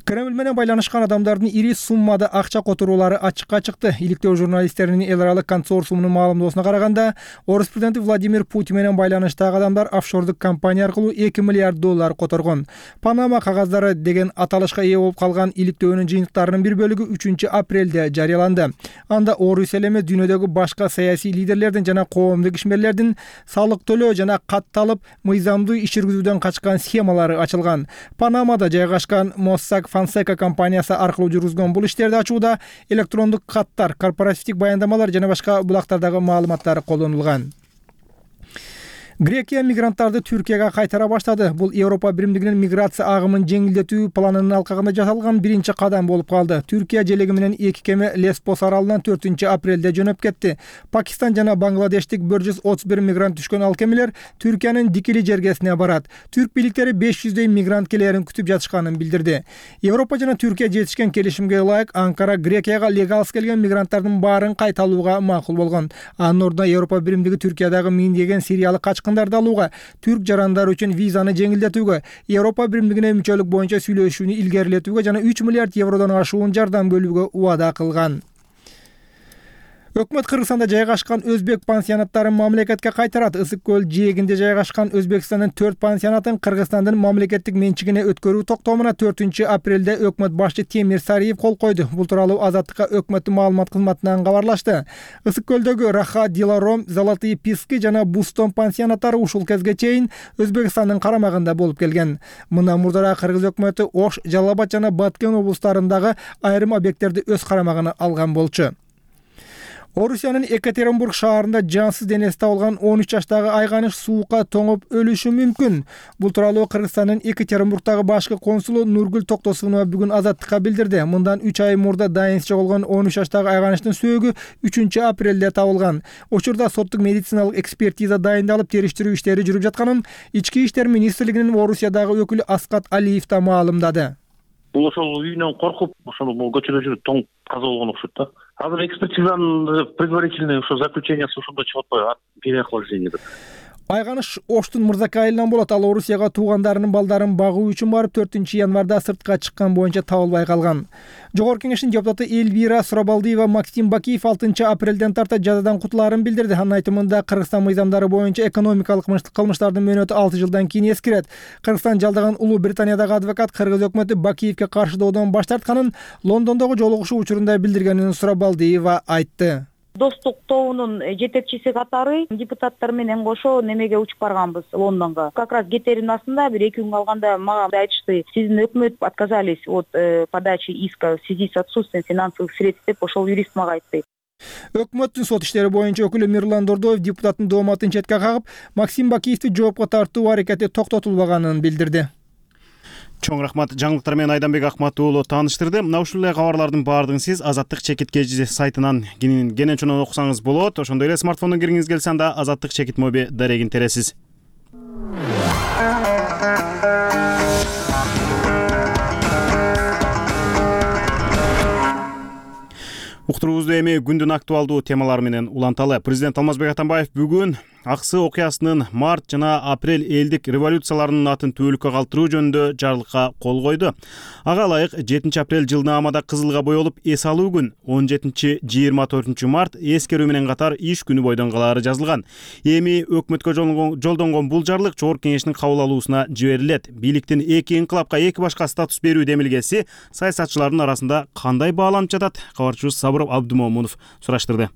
Кремль менен байланышкан адамдардын ири суммада акча которуулары ачыкка чыкты. Иликтөө журналисттеринин эл аралык консорциумунун маалымдоосуна караганда, Орус президенти Владимир Путин менен байланыштагы адамдар офшордук компания аркылуу $2 миллиард коргон. Панама кагаздары деген аталышка ээ болуп калган иликтөөнүн жыйынтыктарынын бир бөлүгү 3 апрелде жарыяланды. Анда Орус эле эмес, дүйнөдөгү башка саясий лидерлердин жана коомдук ишмерлердин салык төлөө жана катталып мыйзамдуу иш жүргүзүүдөн качкан схемалары ачылган. Панамада жайгашкан Mossack Fonseca компаниясы аркылуу жүргүзгөн бул иштерди ачууда электрондук каттар, корпоративдик баяндамалар жана башка булактардагы маалыматтар колдонулган. Грекия мигранттарды Түркияга кайтара баштады. Бул Европа биримдигинин миграция агымын жеңилдетүү планынын алкагында жасалган биринчи кадам болуп калды. Түркия желеги менен 2 кеме Лесбос аралынан 4 апрелде жөнөп кетти. Пакистан жана Бангладештик 131 мигрант түшкөн ал кемелер Түркиянын Дикили жергесине барат. Түрк бийликтери 500 мигрант келерин күтүп жатышканын билдирди. Европа жана Түркия жетишкен келишимге ылайык Анкара Грекияга легалсыз келген мигранттардын баарын кайталууга макул болгон. Анын ордуна Европа биримдиги Түркиядагы миңдеген сириялык качкындарды алууга, түрк жарандары үчүн визаны жеңилдетүүгө, Европа биримдигине мүчөлүк боюнча сүйлөшүүнү илгерилетүүгө жана 3 миллиард евродон ашуун жардам бөлүүгө убада кылган. Өкмөт Кыргызстанда жайгашкан өзбек пансионаттарын мамлекетке кайтарат. Ысык көл жээгинде жайгашкан Өзбекстандын 4 пансионатын Кыргызстандын мамлекеттик менчигине өткөрүү токтомуна 4 апрелде өкмөт башчы Темир Сариев кол койду. Бул тууралуу Азаттыкка өкмөттүн маалымат кызматынан кабарлашты. Ысык көлдөгү Раха, Диларом, Золотые Писки жана Бустон пансионаттары ушул кезге чейин Өзбекстандын карамагында болуп келген. Мындан мурдара Кыргыз өкмөтү Ош, Жалал Абад жана Баткен облустарындагы айрым объекттерди өз карамагына алган болчу. Орусиянын Екатеринбург шаарында жансыз денеси табылган 13 жаштагы айганыш суукка тоңуп өлүшү мүмкүн. Бул тууралуу Кыргызстандын Екатеринбургдагы башкы консулу Нургүл Токтосунова бүгүн Азаттыкка билдирди. Мындан 3 ай мурда дайынсыз жоголгон 13 жаштагы айганыштын сөөгү 3 апрелде табылган. Учурда соттук медициналык экспертиза дайындалып, териштирүү иштери жүрүп жатканын Ички иштер министрлигинин Орусиядагы өкүлү Аскат Алиев да маалымдады.
Бул ошол үйүнөн коркуп, ошол көчөдө жүрүп тоңуп каза болгон окшойт да. Азыр экспертизанын предварительный ошо заключениясы ошондо чыгып атпайбы? Переохлаждение деп.
Айганыш Оштун Мырзака айылынан болот. Ал Орусияга туугандарынын балдарын багуу үчүн барып 4 январда сыртка чыккан боюнча табылбай калган. Жогорку кеңештин депутаты Эльвира Сурабалдиева Максим Бакиев 6 апрелден тарта жазадан кутулаарын билдирди. Анын айтымында Кыргызстан мыйзамдары боюнча экономикалык кылмыштардын мөөнөтү 6 жылдан кийин эскирет. Кыргызстан жалдаган Улуу Британиядагы адвокат Кыргыз өкмөтү Бакиевке каршы доодон баш тартканын Лондондогу жолугушуу учурунда билдиргенин Сурабалдиева айтты.
Достук тобунун жетекчиси катары депутаттар менен кошо немеге учуп барганбыз Лондонго. Как раз кетерин астында бир 2 күн калганда мага айтышты: сиздин өкмөт отказались от подачи иска в связи с отсутствием финансовых средств деп ошол юрист мага айтты.
Өкмөттүн сот иштери боюнча өкүлү Мирлан Дордоев депутаттын дооматын четке кагып, Максим Бакиевди жоопко тартуу аракети токтотулбаганын билдирди.
Чоң рахмат. Жаңылыктар менен Айданбек Акмат уулу тааныштырды. Мына ушул эле кабарлардын баардыгын сиз Азаттык чекит кежи сайтынан кенен окусаңыз болот. Ошондой эле смартфондон кириңиз келсе анда Азаттык чекит моби дарегин тересиз. Уктуруубузду эми күндүн актуалдуу темалары менен уланталы. Президент Алмазбек Атамбаев бүгүн Аксы окуясынын март жана апрель элдик революцияларынын атын түбөлүккө калтыруу жөнүндө жарлыкка кол койду. Ага ылайык 7 апрель жылнаамада кызылга боелуп эс алуу күн, 17-24 март эскерүү менен катар иш күнү бойдон калаары жазылган. Эми өкмөткө жолдонгон бул жарлык Жогорку кеңештин кабыл алуусуна жиберилет. Бийликтин эки инкылапка эки башка статус берүү демилгеси саясатчылардын арасында кандай бааланып жатат? Кабарчыбыз Сабыр Абдумомунов сураштырды.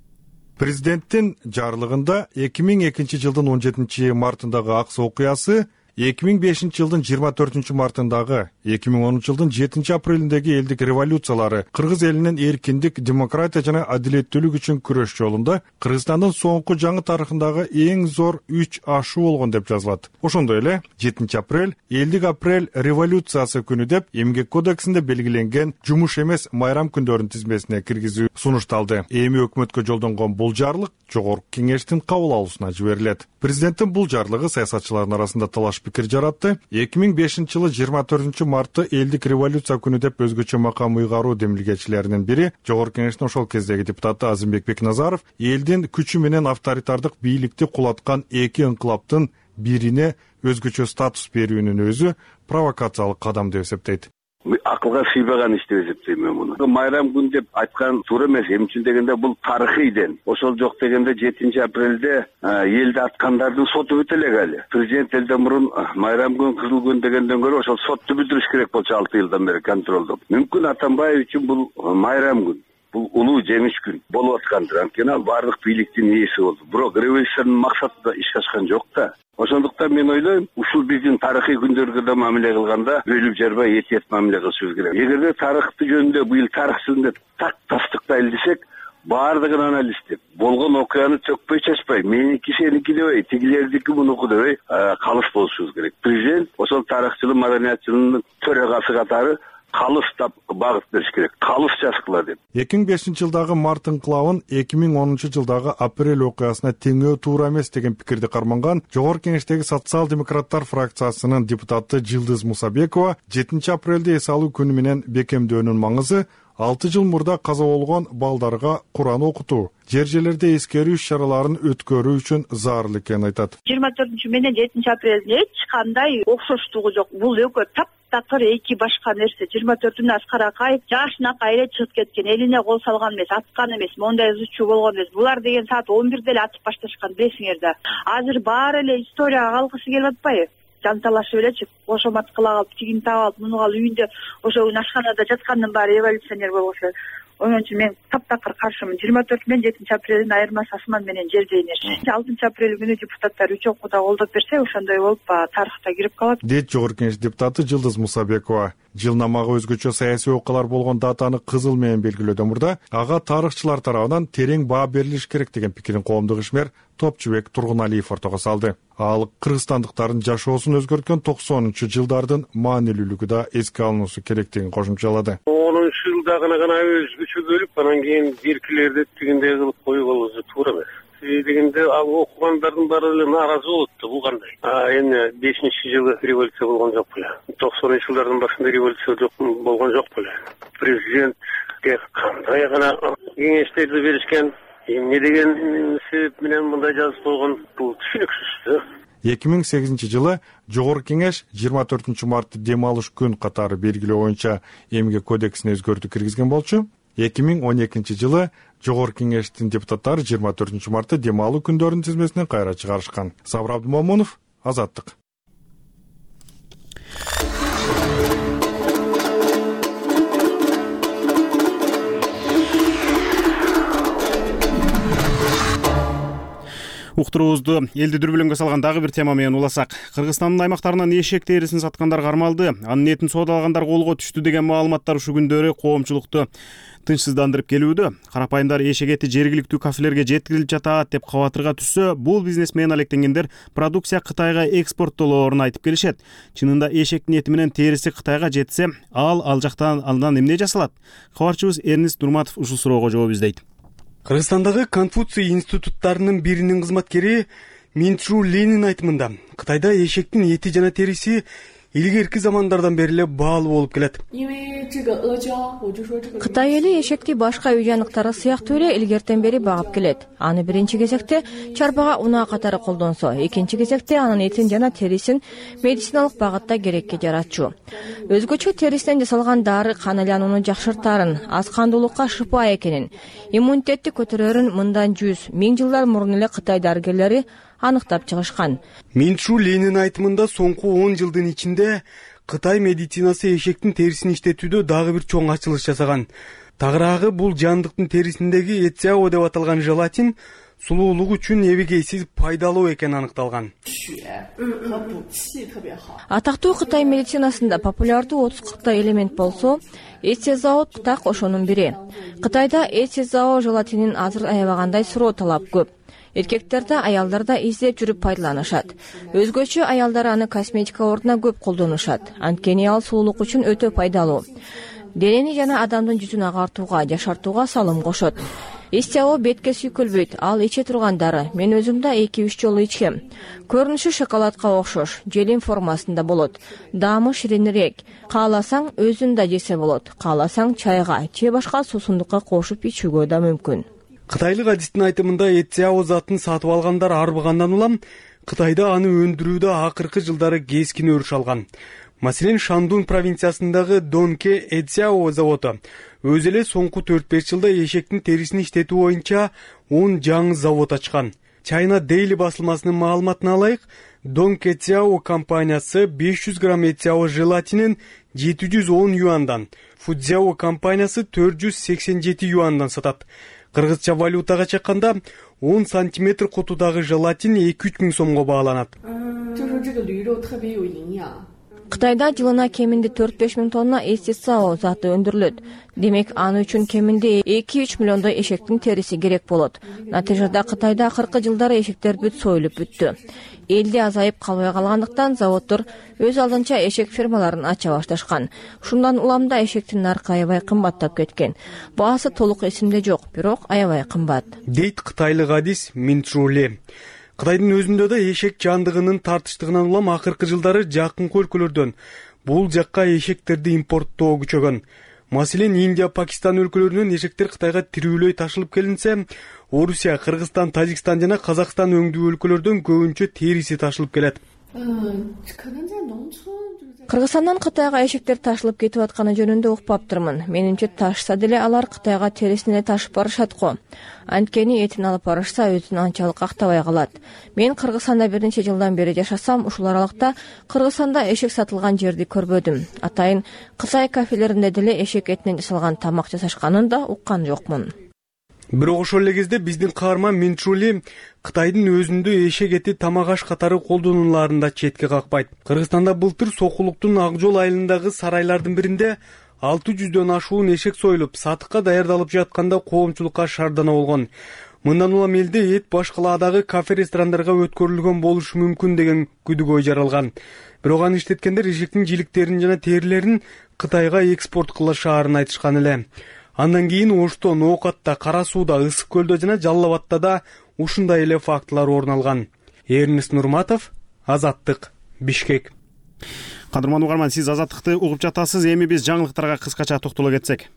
Президенттин жарлыгында 2002 жылдын 17 мартындагы Аксы окуясы, 2005 жылдын 24 мартындагы, 2010 жылдын 7 апрелиндеги элдик революциялары кыргыз элинин эркиндик, демократия жана адилеттүүлүк үчүн күрөш жолунда Кыргызстандын соңку жаңы тарыхындагы эң зор 3 ашуу болгон деп жазылат. Ошондой эле 7 апрель элдик апрель революциясы күнү деп Эмгек кодексинде белгиленген жумуш эмес майрам күндөрүнүн тизмесине киргизүү сунушталды. Эми өкмөткө жолдонгон бул жарлык Жогорку кеңештин кабыл алуусуна жиберилет. Президенттин бул жарлыгы саясатчылардын арасында талаш пикир жаратты. 2005 жылы 24 мартты элдик революция күнү деп өзгөчө макам ыйгаруу демилгечилеринин бири Жогорку кеңештин ошол кездеги депутаты Азимбек Бекназаров элдин күчү менен авторитардык бийликти кулаткан эки инкылаптын бирине өзгөчө статус берүүнүн өзү провокациялык кадам деп эсептейт.
Акылга сыйбаган иш деп эсептейм мен муну. Майрам күн деп айткан туура эмес. Эмне үчүн дегенде бул тарыхый ден. Ошол жок дегенде 7 апрелде элди аткандардын соту бүтө элек али. Президент элден мурун майрам күн, кызыл күн дегенден көрө ошол сотту бүтүрүш керек болчу 6 жылдан бери контролдоп. Мүмкүн Атамбаев үчүн бул майрам күн. Бул улуу жемиш күн болуп аткандыр. Анткени ал бардык бийликтин ээси болду. Бирок революциянын максатында ишке ашкан жок да. Ошондуктан мен ойлойм, ушул биздин тарыхый күндөргө да мамиле кылганда бөлүп жарбай этият мамиле кылышыбыз керек. Эгерде тарыхты жөнүндө быйыл тарых жөнүндө так тастыктайлы десек, баардыгын анализдеп, болгон окуяны төкпөй чачпай, меники сеники дебей, тигилердики мунуку дебей калыс болушубуз керек. Президент ошол тарыхчылык, маданиятчылыгынын төрагасы катары калыстап багыт бериш керек. Калыс жаскыла деп.
2005 жылдагы март инкылабын 2010 жылдагы апрель окуясына теңөө туура эмес деген пикирди карманган Жогорку кеңештеги социал-демократтар фракциясынын депутаты Жылдыз Мусабекова 7 апрелде эс алуу күнү менен бекемдөөнүн маңызы 6 жыл мурда каза болгон балдарга Куран окутуу, жер-жерлерде эскерүү иш-чараларын өткөрүү үчүн зарыл экенин айтат.
24 менен 7 апрелде эч кандай окшоштугу жок. Бул экөө таптакыр эки башка нерсе 24 Аскаракаев жашынакай эле чыгып кеткен, элине кол салган эмес, аткан эмес, мондай ызычуу болгон эмес. Булар деген саат 11 эле атып башташкан, билесиңер да. Азыр баары эле историяга калгысы келип атпайбы? Жанталашып элечи, кошомат кыла калып, тигин таап алып, муну калып үйүндө ошо ашканада жаткандын баары революционер болбошу. Ошон үчүн мен таптакыр каршымын. 24 менен 7 апрелдин айырмасы асман менен жердей нерсе. 6 апрель күнү депутаттар 3 окууда колдоп берсе, ошондой болуп тарыхта кирип калат.
Дейт Жогорку Кеңеш депутаты Жылдыз Мусабекова. Жылнамага өзгөчө саясий окуялар болгон датаны кызыл менен белгилөөдөн мурда ага тарыхчылар тарабынан терең баа берилиш керек деген пикирин коомдук ишмер Топчубек Тургуналиев ортого салды. Ал кыргызстандыктардын жашоосун өзгөрткөн 90-жылдардын маанилүүлүгү да эске алынуусу керектигин кошумчалады.
10-жылда гана өзгөчө бөлүп, анан кийин биркилерди тигиндей кылып коюп туура эмес. Дегенде ал окугандардын баары эле нааразы болот да, бул кандай? Эми 5-жылы революция болгон жок беле. 90-жылдардын башында революция болгон жок беле. Президентке кандай гана кеңештерди беришкен, эмне деген себеп менен мындай жазып койгон, бул түшүнүксүз.
2008-жылы Жогорку Кеңеш 24 мартты дем алыш күн катары белгилөө боюнча эмгек кодексине өзгөртүү киргизген болчу. 2012-жылы Жогорку Кеңештин депутаттары 24 мартты дем алуу күндөрүнүн тизмесинен кайра чыгарышкан. Сабыр Абдымомунов, Азаттык.
Уктуруубузду элди дүрбөлөңгө салган дагы бир тема менен уласак. Кыргызстандын аймактарынан эшек терисин саткандар кармалды. Анын этин соодалагандар колго түштү деген маалыматтар ушул күндөрү коомчулукту тынчсыздандырып келүүдө. Карапайымдар эшек эти жергиликтүү кафелерге жеткирилип жатат деп кабатырга түшсө, бул бизнес менен алектенгендер продукция Кытайга экспорттолоорун айтып келишет. Чынында эшектин эти менен териси Кытайга жетсе, ал жактан андан эмне жасалат? Кабарчыбыз Эрнис Нурматов ушул суроого жооп издейт.
Кыргызстандагы Конфуций институттарынын биринин кызматкери Минчжу Ленин айтымында Кытайда эшектин эти жана териси илгерки замандардан бери эле баалуу болуп келет.
Кытай эли эшекти башка үй жаныктары сыяктуу эле илгертен бери багып келет. Аны биринчи кезекте чарбага унаа катары колдонсо, экинчи кезекте анын этин жана терисин медициналык багытта керекке жаратчу. Өзгөчө терисинен жасалган дары кан айланууну жакшыртаарын, аз кандуулукка шыпа экенин, иммунитетти көтөрөрүн мындан 100-1000 жылдар мурун эле Кытай дарыгерлери аныктап чыгышкан.
Минчжу Ленин айтымында соңку 10 жылдын ичинде Кытай медицинасы эшектин терисин иштетүүдө дагы бир чоң ачылыш жасаган. Тагыраагы бул жандыктын терисиндеги эцяо деп аталган желатин сулуулук үчүн эбегейсиз пайдалуу экени аныкталган.
Атактуу Кытай медицинасында популярдуу 30-40 элемент болсо, эцезао так ошонун бири. Кытайда эцезао желатинин азыр аябагандай суроо талап көп. Эркектерде, аялдарда издеп жүрүп пайдаланышат. Өзгөчө аялдар аны косметика ордуна көп колдонушат. Анткени ал сулуулук үчүн өтө пайдалуу. Денени жана адамдын жүзүн агартууга, жашартууга салым кошот. Эцяо бетке сүйкөлбөйт, ал иче турган дары. Мен өзүм да 2-3 жолу ичкем. Көрүнүшү шоколадка окшош, желим формасында болот. Даамы ширинирээк. Кааласаң өзүн да жесе болот. Кааласаң чайга же башка суусундукка кошуп ичүүгө да мүмкүн.
Кытайлык адистин айтымында эцяо затын сатып алгандар арбыгандан улам Кытайда аны өндүрүүдө акыркы жылдары кескин өрүш алган. Маселен, Шандун провинциясындагы Донке эцяо заводу өзү эле соңку 4-5 жылда эшектин терисин иштетүү боюнча 10 жаңы завод ачкан. China Daily басылмасынын маалыматына алайык, Донке эцяо компаниясы 500 грамм эцяо желатинин 710 юандан, Фудзяо компаниясы 487 юандан сатат. Кыргызча валютага чакканда 10 сантиметр кутудагы желатин 2-3 миң сомго бааланат.
Кытайда жылына кеминде 4-5 миң тонна эцяо заты өндүрүлөт. Демек, аны үчүн кеминде 2-3 миллиондой эшектин териси керек болот. Натыйжада Кытайда акыркы жылдары эшектер бүт союлуп бүттү. Элде азайып калбай калгандыктан заводдор өз алдынча эшек фермаларын ача башташкан. Ушундан улам да эшектин наркы аябай кымбаттап кеткен. Баасы толук эсимде жок, бирок аябай кымбат.
Дейт кытайлык адис Минчжу Ли. Кытайдын өзүндө да эшек жандыгынын тартыштыгынан улам акыркы жылдары жакынкы өлкөлөрдөн бул жакка эшектерди импорттоо күчөгөн. Маселен, Индия, Пакистан өлкөлөрүнөн эшектер Кытайга тирүүлөй ташылып келинсе, Орусия, Кыргызстан, Тажикстан жана Казакстан өңдүү өлкөлөрдөн көбүнчө териси ташылып келет.
Кыргызстандан Кытайга эшектер ташылып кетип атканы жөнүндө укпаптырмын. Менимче ташса деле алар Кытайга терисин эле ташып барышат го. Анткени этин алып барышса өзүн анчалык актабай калат. Мен Кыргызстанда бир нече жылдан бери жашасам, ушул аралыкта Кыргызстанда эшек сатылган жерди көрбөдүм. Атайын Кытай кафелеринде деле эшек этинен жасалган тамак жасашканын да уккан жокмун.
Бирок ошол эле кезде биздин каарман Минчули Кытайдын өзүндө эшек эти тамак аш катары колдонуларын да четке какпайт. Кыргызстанда былтыр Сокулуктун Ак жол айылындагы сарайлардын биринде 600дөн ашуун эшек союлуп, сатыкка даярдалып жатканда коомчулукка шаардана болгон. Мындан улам элде эт башкаладагы кафе-ресторандарга өткөрүлгөн болушу мүмкүн деген күдүгөй жаралган. Бирок аны иштеткендер эшектин жиликтерин жана терилерин Кытайга экспорт кылышаарын айтышкан эле. Андан кийин Ошто, Ноокатта, Кара Сууда, Ысык көлдө жана Жалал Абадта да ушундай эле фактылар орун алган. Эрнест Нурматов, Азаттык, Бишкек.
Кадырман угарман, сиз Азаттыкты угуп жатасыз. Эми биз жаңылыктарга кыскача токтоло кетсек.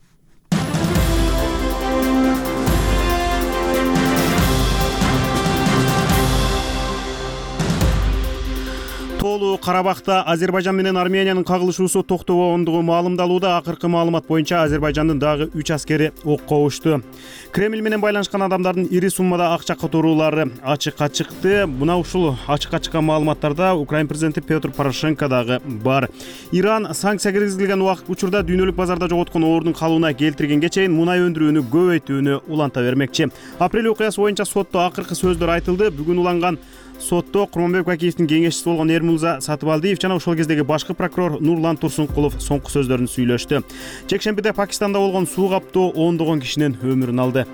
Тоолуу Карабахта Азербайжан менен Армениянын кагылышуусу токтобогондугу маалымдалууда. Акыркы маалымат боюнча Азербайжандын дагы 3 аскери окко ушту. Кремль менен байланышкан адамдардын ири суммада акча которуулары ачыкка чыкты. Мына ушул ачыкка чыккан маалыматтарда Украина президенти Петр Порошенко дагы бар. Иран санкция киргизилген учурда дүйнөлүк базарда жоготкон ордун калыбына келтиргенге чейин мунай өндүрүүнү көбөйтүүнү уланта бермекчи. Апрель окуясы боюнча сотто акыркы сөздөр айтылды. Бүгүн уланган сотто Курманбек Бакиевдин кеңешчиси болгон Эрмурза Сатыбалдиев жана ошол кездеги башкы прокурор Нурлан Турсункулов соңку сөздөрүн сүйлөштү. Жекшембиде Пакистанда болгон суу каптоо ондогон кишинин өмүрүн алды.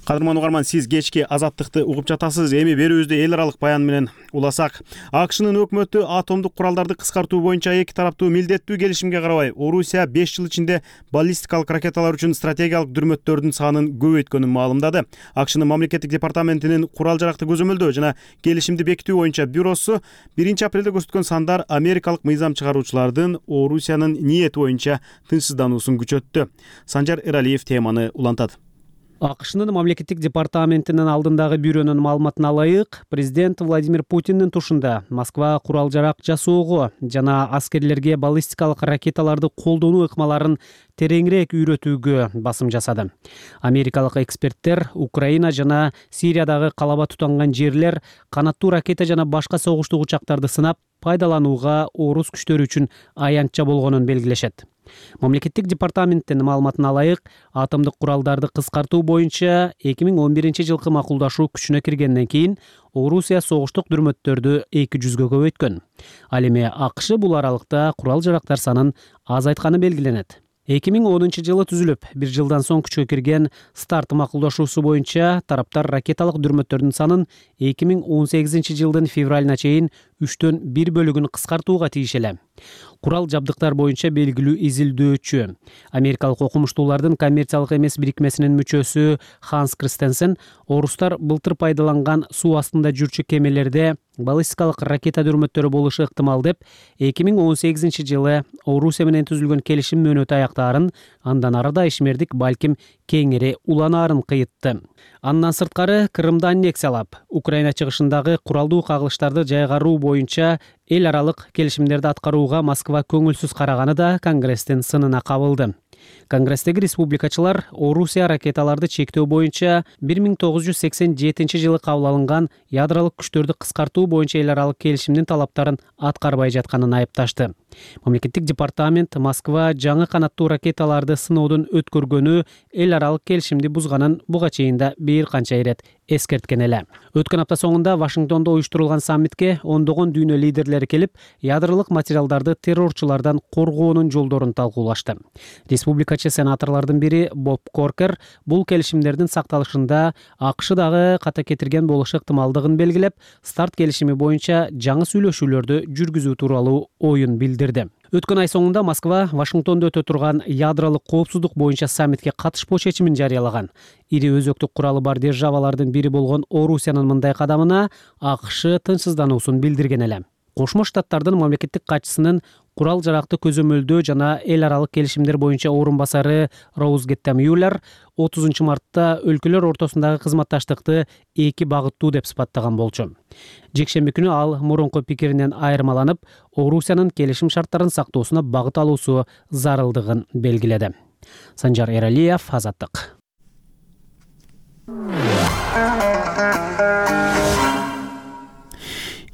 Кадырман угарман, сиз кечки Азаттыкты угуп жатасыз. Эми берүүбүздү эл аралык баян менен уласак. АКШнын өкмөтү атомдук куралдарды кыскартуу боюнча эки тараптуу милдеттүү келишимге карабай, Орусия 5 жыл ичинде баллистикалык ракеталар үчүн стратегиялык дүрмөттөрдүн санын көбөйткөнүн маалымдады. АКШнын мамлекеттик департаментинин курал жаракты көзөмөлдөө жана келишимди бекитүү боюнча бюросу 1 апрелде көрсөткөн сандар америкалык мыйзам чыгаруучулардын Орусиянын ниети боюнча тынчсыздануусун күчөттү. Санжар Эралиев теманы улантат.
АКШнын мамлекеттик департаментинин алдындагы бюронун маалыматына ылайык, президент Владимир Путиндин тушунда Москва курал жарак жасоого жана аскерлерге баллистикалык ракеталарды колдонуу ыкмаларын тереңирээк үйрөтүүгө басым жасады. Америкалык эксперттер Украина жана Сириядагы калаба тутанган жерлер канаттуу ракета жана башка согуштук учактарды сынап пайдаланууга орус күчтөрү үчүн аянтча болгонун белгилешет. Мамлекеттик департаменттин маалыматына ылайык, атомдук куралдарды кыскартуу боюнча 2011-жылкы макулдашуу күчүнө киргенден кийин Орусия согуштук дүрмөттөрдү 200гө көбөйткөн. Ал эми АКШ бул аралыкта курал жарактар санын азайтканы белгиленет. 2010-жылы түзүлүп, 1 жылдан соң күчкө кирген старт макулдашуусу боюнча тараптар ракеталык дүрмөттөрдүн санын 2018-жылдын февралына чейин 3төн 1 бөлүгүн кыскартууга тийиш эле. Курал жабдыктар боюнча белгилүү изилдөөчү, америкалык окумуштуулардын коммерциялык эмес бирикмесинин мүчөсү Ханс Кристенсен орустар былтыр пайдаланган суу астында жүрчү кемелерде баллистикалык ракета дүрмөттөрү болушу ыктымал деп 2018-жылы Орусия менен түзүлгөн келишим мөөнөтү аяктаарын, андан ары да ишмердик балким кеңири уланаарын кыйытты. Андан сырткары Крымды аннексиялап, Украина чыгышындагы куралдуу кагылыштарды жайгаруу боюнча эл аралык келишимдерди аткарууга Москва көңүлсүз караганы да Конгресстин сынына кабылды. Конгресстеги республикачылар Орусия ракеталарды чектөө боюнча 1987-жылы кабыл алынган ядролук күчтөрдү кыскартуу боюнча эл аралык келишимдин талаптарын аткарбай жатканын айыпташты. Мамлекеттик департамент Москва жаңы канаттуу ракеталарды сыноодон өткөргөнү эл аралык келишимди бузганын буга чейин да бир канча ирет эскерткен эле. Өткөн апта соңунда Вашингтондо уюштурулган саммитке ондогон дүйнө лидерлери келип, ядролук материалдарды террорчулардан коргоонун жолдорун талкуулашты. Республикачы сенаторлордун бири Боб Коркер бул келишимдердин сакталышында АКШ дагы ката кетирген болушу ыктымалдыгын белгилеп, старт келишими боюнча жаңы сүйлөшүүлөрдү жүргүзүү тууралуу оюн билдирди. Өткөн ай соңунда Москва Вашингтондо өтө турган ядролук коопсуздук боюнча саммитке катышпоо чечимин жарыялаган. Ири өзөктүк куралы бар державалардын бири болгон Орусиянын мындай кадамына АКШ тынчсыздануусун билдирген эле. Кошмо Штаттардын мамлекеттик катчысынын курал жаракты көзөмөлдөө жана эл аралык келишимдер боюнча орун басары Роуз Геттем Юллер 30 мартта өлкөлөр ортосундагы кызматташтыкты эки багыттуу деп сыпаттаган болчу. Жекшемби күнү ал мурунку пикиринен айырмаланып, Орусиянын келишим шарттарын сактоосуна багыт алуусу зарылдыгын белгиледи. Санжар Эралиев, Азаттык.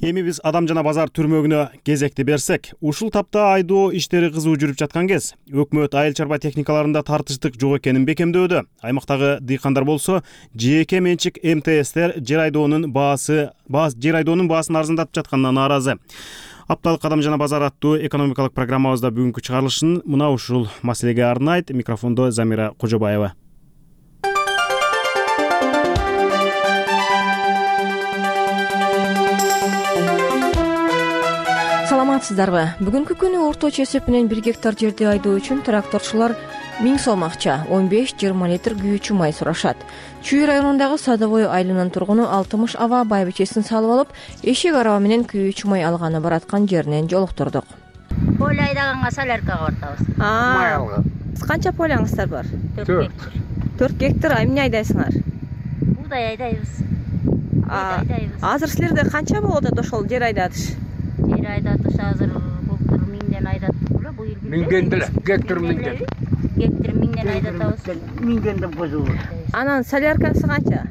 Эми биз Адам жана базар түрмөгүнө кезекти берсек, ушул тапта айдоо иштери кызуу жүрүп жаткан кез өкмөт айыл чарба техникаларында тартыштык жок экенин бекемдөөдө. Аймактагы дыйкандар болсо, жеке менчик МТСтер жер айдоонун баасын арзандатып жатканына нааразы. Апталык Адам жана базар аттуу экономикалык программабызда бүгүнкү чыгарылышын мына ушул маселеге арнайт. Микрофондо Замира Кожобаева.
Саламатсыздарбы? Бүгүнкү күнү орточо эсеп менен 1 гектар жерди айдоо үчүн тракторчулар 1000 сом акча, 15-20 литр күйүүчү май сурашат. Чүй районундагы Садовой айылынын тургуну 60 аба байбичесин салып алып, эшек араба менен күйүүчү май алганы бараткан жеринен жолуктурдук.
Поле айдаганга соляркага бартабыз. Май алган.
Канча полеңиздер бар? 4 гектар. Эмне айдайсыңар?
Буудай айдайбыз.
Азыр силерде канча болот ошол жер айдатыш?
Жер айдатыш азыр былтыр 1000ден айдаттык эле, быйыл
1000ден эле, гектар 1000ден.
Гектар 1000ден айдатабыз.
1000ден козулur.
Анан соляркасы канча?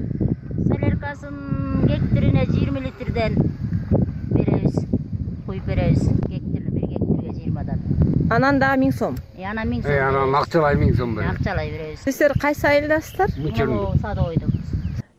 Соляркасын гектарине 20 литрден беребиз. Куюп беребиз. Гектар 1 гектарга 20дан.
Анан дагы 1000 сом.
Анан 1000 сом.
Анан акчалай 1000 сом беребиз.
Акчалай беребиз.
Сиздер кайсы айылдасыздар?
Садовойдобуз.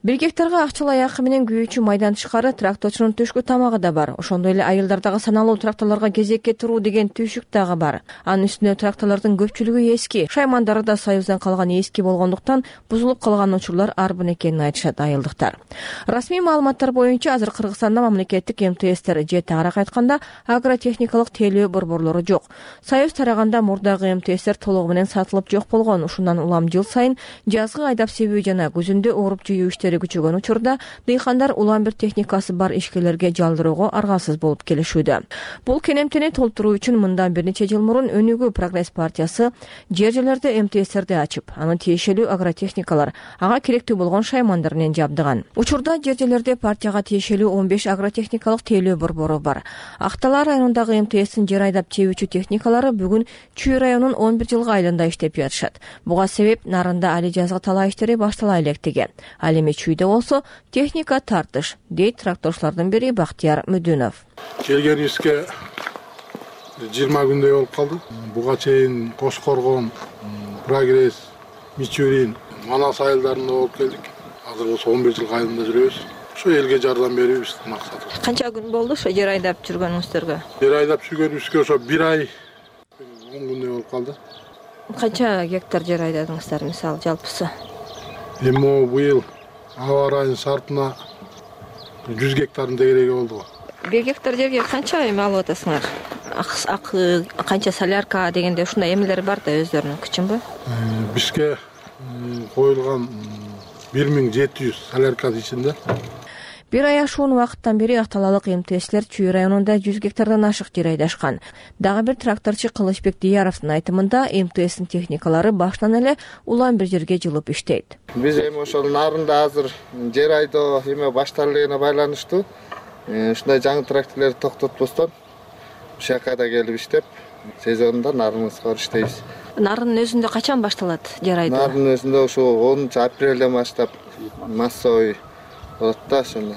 1 гектарга акчалай акы менен күйүүчү майдан тышкары тракторчунун түшкү тамагы да бар. Ошондой эле айылдардагы саналуу тракторлорго кезекке туруу деген түйшүк дагы бар. Анын үстүнө тракторлордун көпчүлүгү эски, шаймандары да Союздан калган эски болгондуктан бузулуп калган учурлар арбын экенин айтышат айылдыктар. Расмий маалыматтар боюнча азыр Кыргызстанда мамлекеттик МТСтер же тагыраак айтканда агротехникалык тейлөө борборлору жок. Союз тараганда мурдагы МТСтер толугу менен сатылып жок болгон. Ушундан улам жыл сайын жазгы айдап себүү жана күзүндө ооруп жүйүү күчөгөн учурда дыйкандар улам бир техникасы бар ишкерлерге жалдыроого аргасыз болуп келишүүдө. Бул кенемтени толтуруу үчүн мындан бир нече жыл мурун Өнүгүү Прогресс партиясы жер-жерлерде МТСтерди ачып, аны тиешелүү агротехникалар, ага керектүү болгон шаймандар менен жабдыган. Учурда жер-жерлерде партияга тиешелүү 15 агротехникалык тейлөө борбору бар. Актала районундагы МТСтин жер айдап чебүүчү техникалары бүгүн Чүй районунун 11 жылгы айылында иштеп жатышат. Буга себеп Нарында али жазгы талаа иштери баштала электиги. Ал эми Чүйдө болсо техника тартыш, дейт тракторчулардын бири Бактияр Мүдүнов.
Келгенибизге 20 күндөй болуп калды. Буга чейин Кош Коргон, Прогресс, Мичурин, Манас айылдарында болуп келдик. Азыр болсо 11 жылгы айылында жүрөбүз. Ошо элге жардам берүүбүз максатыбыз.
Канча күн болду ошо жер айдап жүргөнүңүздөргө?
Жер айдап жүргөнүбүзгө ошо 1 ай 10 күндөй болуп калды.
Канча гектар жер айдадыңыздар мисалы жалпысы?
Эми быйыл аба ырайынын шартына 100 гектардын тегереги болду.
1 гектар жерге канча эме алып атасыңар? Акы канча солярка дегенде ушундай эмелер бар да өздөрүнүн күчүнбү?
Бизге коюлган 1700 солярка ичинде.
1 ай ашуун убакыттан бери Акталалык МТСлер Чүй районунда 100 гектардан ашык жер айдашкан. Дагы бир тракторчу Кылычбек Дияровдун айтымында МТСтин техникалары башынан эле улам бир жерге жылып иштейт.
Биз эми ошол Нарында азыр жер айдоо эме башталып элегине байланыштуу ушундай жаңы тракторлорду токтотпостон ушул жака да келип иштеп, сезонунда Нарыбызга иштейбиз.
Нарынын өзүндө качан башталат жер айдоо?
Нарынын өзүндө ошол 10-апрелден баштап массовый болот да ошондо.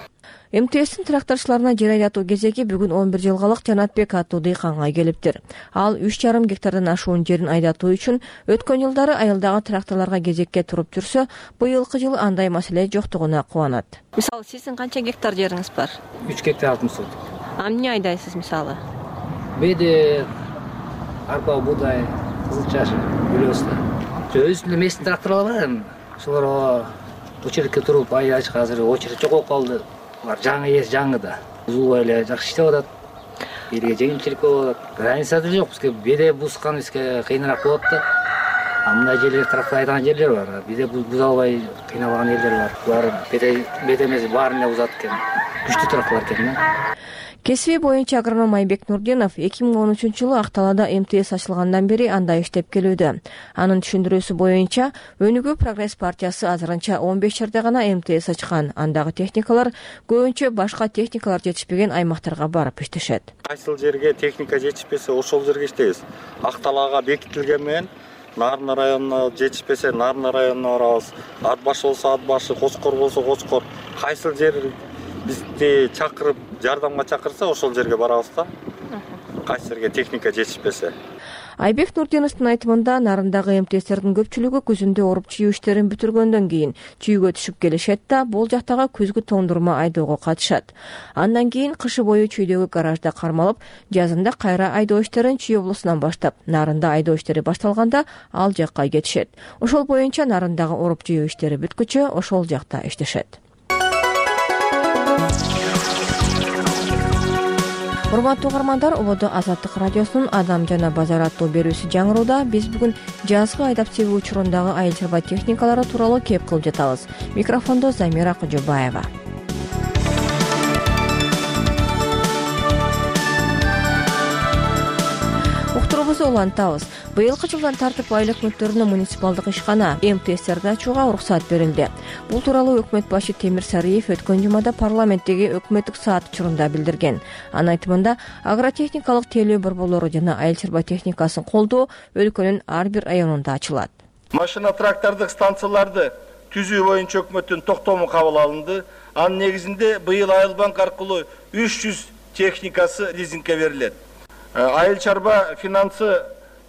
МТСтин тракторчуларына жер айдатуу кезеги бүгүн 11 жылгалык Жанатбек аттуу дыйканга келиптир. Ал 3,5 гектардан ашуун жерин айдатуу үчүн өткөн жылдары айылдагы тракторлорго кезекке туруп жүрсө, быйылкы жылы андай маселе жоктугуна кубанат. Мисалы, сиздин канча гектар жериңиз бар?
3 гектар 60 соток.
Эмне айдайсыз мисалы?
Беде арпа, буудай, кызыл чаш, үлөстө. Өзүнүн местин тракторлор бар. Ошолор очередке туруп айдашка азыр очеред жок болуп калды. Булар жаңы жаңы да. Узулбай эле жакшы иштеп атат. Элге жеңилчилик болуп атат. Граница да жок. Бизге беде бузган бизге кыйыныраак болот да. Мындай жерлер трактор айдаган жерлер бар. Беде буза албай кыйналган элдер бар. Булар беде эмес баарын эле бузат экен. Күчтүү тракторлор экен да.
Кесиби боюнча агроном Айбек Нурдинов 2013-жылы Акталада МТС ачылгандан бери анда иштеп келүүдө. Анын түшүндүрүүсү боюнча Өнүгүү Прогресс партиясы азырынча 15 жерде гана МТС ачкан. Андагы техникалар көбүнчө башка техникалар жетишпеген аймактарга барып иштешет.
Кайсыл жерге техника жетишпесе ошол жерге иштейбиз. Акталага бекитилген менен Нарына районуна жетишпесе Нарына районуна барабыз. Ат башы болсо ат башы, Кочкор болсо Кочкор. Кайсыл жер бизди чакырып, жардамга чакырса ошол жерге барабыз да. Кайсы жерге техника жетишпесе.
Айбек Нурдиновдун айтымында Нарындагы МТСтердин көпчүлүгү күзүндө оруп чүйүү иштерин бүтүргөндөн кийин чүйгө түшүп келишет да, бул жактагы күзгү тоңдурма айдоого катышат. Андан кийин кышы бою чүйдөгү гаражда кармалып, жазында кайра айдоо иштерин Чүй облусунан баштап, Нарында айдоо иштери башталганда ал жакка кетишет. Ошол боюнча Нарындагы оруп чүйүү иштери бүткүчө ошол жакта иштешет. Урматтуу угармандар, ободо Азаттык радиосунун Адам жана базар аттуу берүүсү жаңырууда. Биз бүгүн жазгы айдап себүү учурундагы айыл чарба техникалары тууралуу кеп кылып жатабыз. Микрофондо Замира Кожобаева. Уктуруубузду улантабыз. Быйылкы жылдан тартып айыл өкмөттөрүнө муниципалдык ишкана МТСтерди ачууга уруксат берилди. Бул тууралуу өкмөт башы Темир Сарыев өткөн жумада парламенттеги өкмөттүк саат учурунда билдирген. Анын айтымында агротехникалык тейлөө борборлору жана айыл чарба техникасын колдоо өлкөнүн ар бир районунда ачылат.
Машина трактордук станцияларды түзүү боюнча өкмөттүн токтому кабыл алынды. Анын негизинде быйыл Айыл банк аркылуу 300 техникасы лизингке берилет. Айыл чарба финансы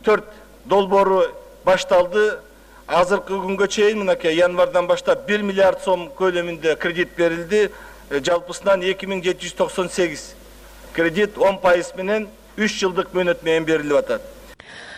4 долбоору башталды. Азыркы күнгө чейин мынакей январдан баштап 1 миллиард сом көлөмүндө кредит берилди. Жалпысынан 2798 кредит 10% менен 3 жылдык мөөнөт менен берилип атат.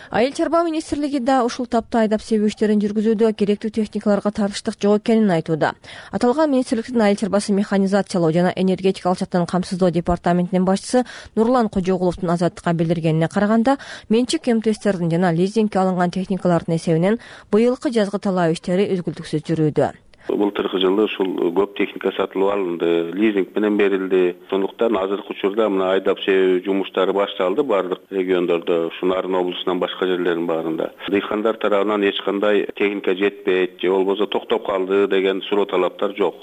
Айыл чарба министрлиги да ушул тапта айдап себүү иштерин жүргүзүүдө керектүү техникаларга тартыштык жок экенин айтууда. Аталган министрликтин айыл чарбасын механизациялоо жана энергетикалык жактан камсыздоо департаментинин башчысы Нурлан Кожогуловдун Азаттыкка билдиргенине караганда, менчик МТСтердин жана лизингке алынган техникалардын эсебинен быйылкы жазгы талаа иштери үзгүлтүксүз жүрүүдө.
Былтыркы жылы ушул көп техника сатылып алынды, лизинг менен берилди. Сондуктан азыркы учурда мына айдап себүү жумуштары башталды бардык региондордо, ушу Нарын облусунан башка жерлердин баарында. Дыйкандар тарабынан эч кандай техника жетпейт, же болбосо токтоп калды деген суроо талаптар жок.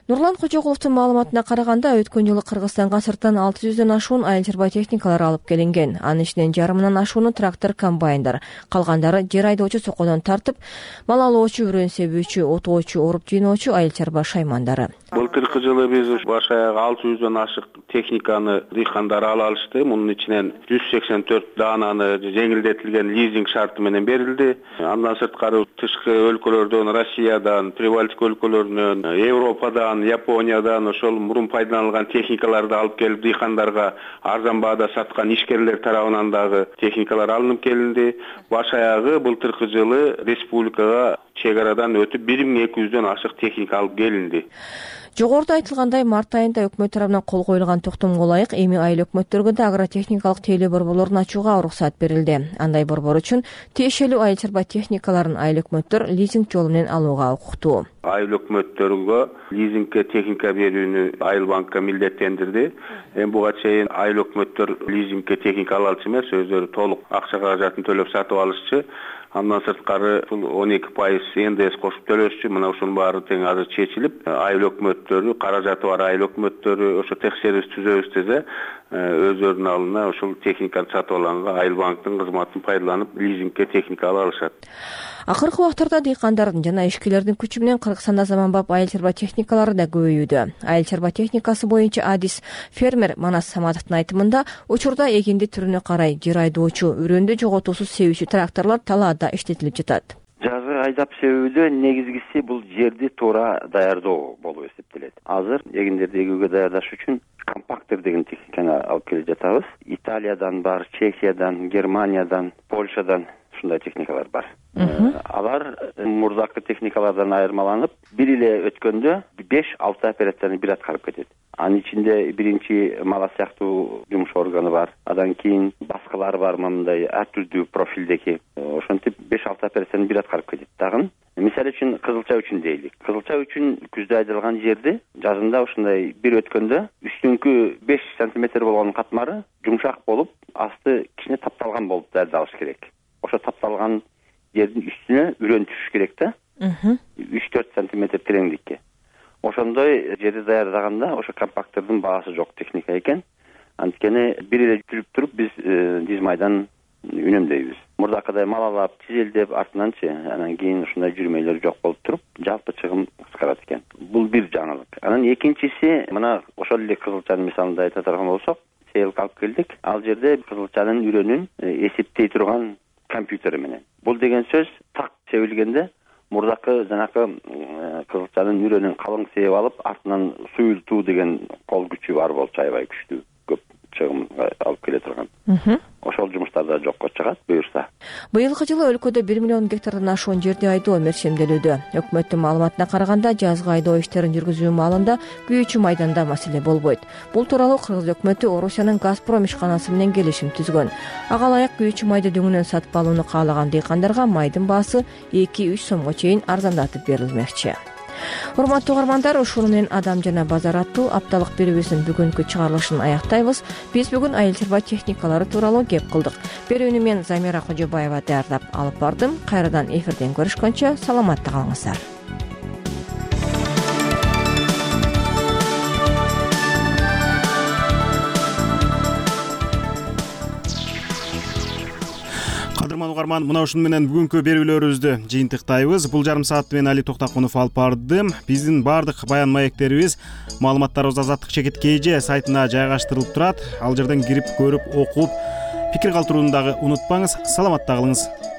Нурлан Кожогуловдун маалыматына караганда, өткөн жылы Кыргызстанга сырттан 600дөн ашуун айыл чарба техникалары алып келинген. Анын ичинен жарымынан ашууну трактор, комбайндар, калгандары жер айдоочу сокодон тартып, мал алуучу, үрөн себүүчү, отоочу, оруп жыйноочу айыл чарба шаймандары.
Былтыркы жылы биз баш аягы 600дөн ашык техниканы дыйкандар ала алышты. Мунун ичинен 184 даананы жеңилдетилген лизинг шарты менен берилди. Андан сырткары тышкы өлкөлөрдөн, Россиядан, Прибалтика өлкөлөрүнөн, Европадан, Япониядан ошол мурун пайдаланылган техникаларды алып келип дыйкандарга арзан баада саткан ишкерлер тарабынан дагы техникалар алынып келинди. Баш аягы былтыркы жылы республикага чек арадан өтүп 1200дөн ашык техника алып келинди.
Жогоруда айтылгандай, март айында өкмөт тарабынан кол коюлган токтомго ылайык эми айыл өкмөттөргө да агротехникалык тейлөө борборлорун ачууга уруксат берилди. Андай борбор үчүн тиешелүү айыл чарба техникаларын айыл өкмөттөр лизинг жолу менен алууга укуктуу.
Айыл өкмөттөргө лизингке техника берүүнү Айыл банкка милдеттендирди. Эми буга чейин айыл өкмөттөр лизингке техника ала алчу эмес, өздөрү толук акча каражатын төлөп сатып алышчу. Андан сырткары 12% НДС кошуп төлөшчү. Мына ушунун баары тең азыр чечилип, айыл өкмөттөрү, каражаты бар айыл өкмөттөрү ошо текшерүүс түзөбүз десе, өздөрүнүн алдына ушул техниканы сатып алганга Айыл банктын кызматын пайдаланып, лизингке техника ала алышат.
Акыркы убактарда дыйкандардын жана ишкерлердин күчү менен Кыргызстанда заманбап айыл чарба техникалары да көбөйүүдө. Айыл чарба техникасы боюнча адис фермер Манас Саматовдун айтымында, учурда эгинди түрүнө карай жер айдоочу, үрөндү жоготуусуз себүүчү тракторлор талаада иштетилип жатат.
Жазгы айдап себүүдө негизгиси бул жерди туура даярдоо болуп эсептелет. Азыр эгиндерди эгүүгө даярдаш үчүн компактер деген техниканы алып келип жатабыз. Италиядан бар, Чехиядан, Германиядан, Польшадан ушундай техникалар бар. Алар мурдакы техникалардан айырмаланып, бир эле өткөндө 5-6 операцияны бир аткарып кетет. Анын ичинде биринчи мала сыяктуу жумуш органы бар. Андан кийин баскалар бар, мындай ар түрдүү профилдеги. Ошентип 5-6 операцияны бир аткарып кетет. Дагы Мисалы үчүн кызылча үчүн дейлик. Кызылча үчүн күздө айдалган жерди жазында ушундай бир өткөндө үстүңкү 5 сантиметр болгон катмары жумшак болуп, асты кичине тапталган болуп даярдалыш керек. Ошо тапталган жердин үстүнө үрөн түшүш керек да. 3-4 сантиметр тереңдикке. Ошондой жерди даярдаганда ошо компактордун баасы жок техника экен. Анткени бир эле жүрүп туруп биз диз майдан үнөмдөйбүз. Мурдакыдай малалап, тизелдеп, артынанчы анан кийин ушундай жүрмөйлөр жок болуп туруп, жалпы чыгым кыскарат экен. Бул бир жаңылык. Анан экинчиси, мына ошол эле кызылчанын мисалында айта турган болсок, сейилге алып келдик. Ал жерде кызылчанын үрөнүн эсептей турган компьютер менен. Бул деген сөз так себилгенде мурдакы жанакы кызылчанын үрөнүн калың сээп алып, артынан суюлтуу деген кол күчү бар болчу, аябай күчтүү, көп чыгым алып келе турган. Ошол жумуштар да жокко чыгат буюрса.
Быйылкы жылы өлкөдө 1 миллион гектардан ашуун жерди айдоо мерчемделүүдө. Өкмөттүн маалыматына караганда, жазгы айдоо иштерин жүргүзүү маалында күйүүчү майданда маселе болбойт. Бул тууралуу Кыргыз өкмөтү Орусиянын Газпром ишканасы менен келишим түзгөн. Ага ылайык күйүүчү майды дөңүнөн сатып алууну каалаган дыйкандарга майдын баасы 2-3 сомго чейин арзандатып берилмекчи. Урматтуу угармандар, ушуну менен Адам жана базар аттуу апталык берүүбүздүн бүгүнкү чыгарылышын аяктайбыз. Биз бүгүн айыл чарба техникалары тууралуу кеп кылдык. Берүүнү мен Замира Кожобаева даярдап алып бардым. Кайрадан эфирден көрүшкөнчө саламатта калыңыздар.
Угарман, мына ушуну менен бүгүнкү берүүлөрүбүздү жыйынтыктайбыз. Бул жарым саатты мен Али Токтакунов алып бардым. Биздин баардык баян маектерибиз, маалыматтарыбыз Азаттык чекит КЖ сайтына жайгаштырылып турат. Ал жерден кирип көрүп, окуп, пикир калтырууну дагы унутпаңыз. Саламатта калыңыз.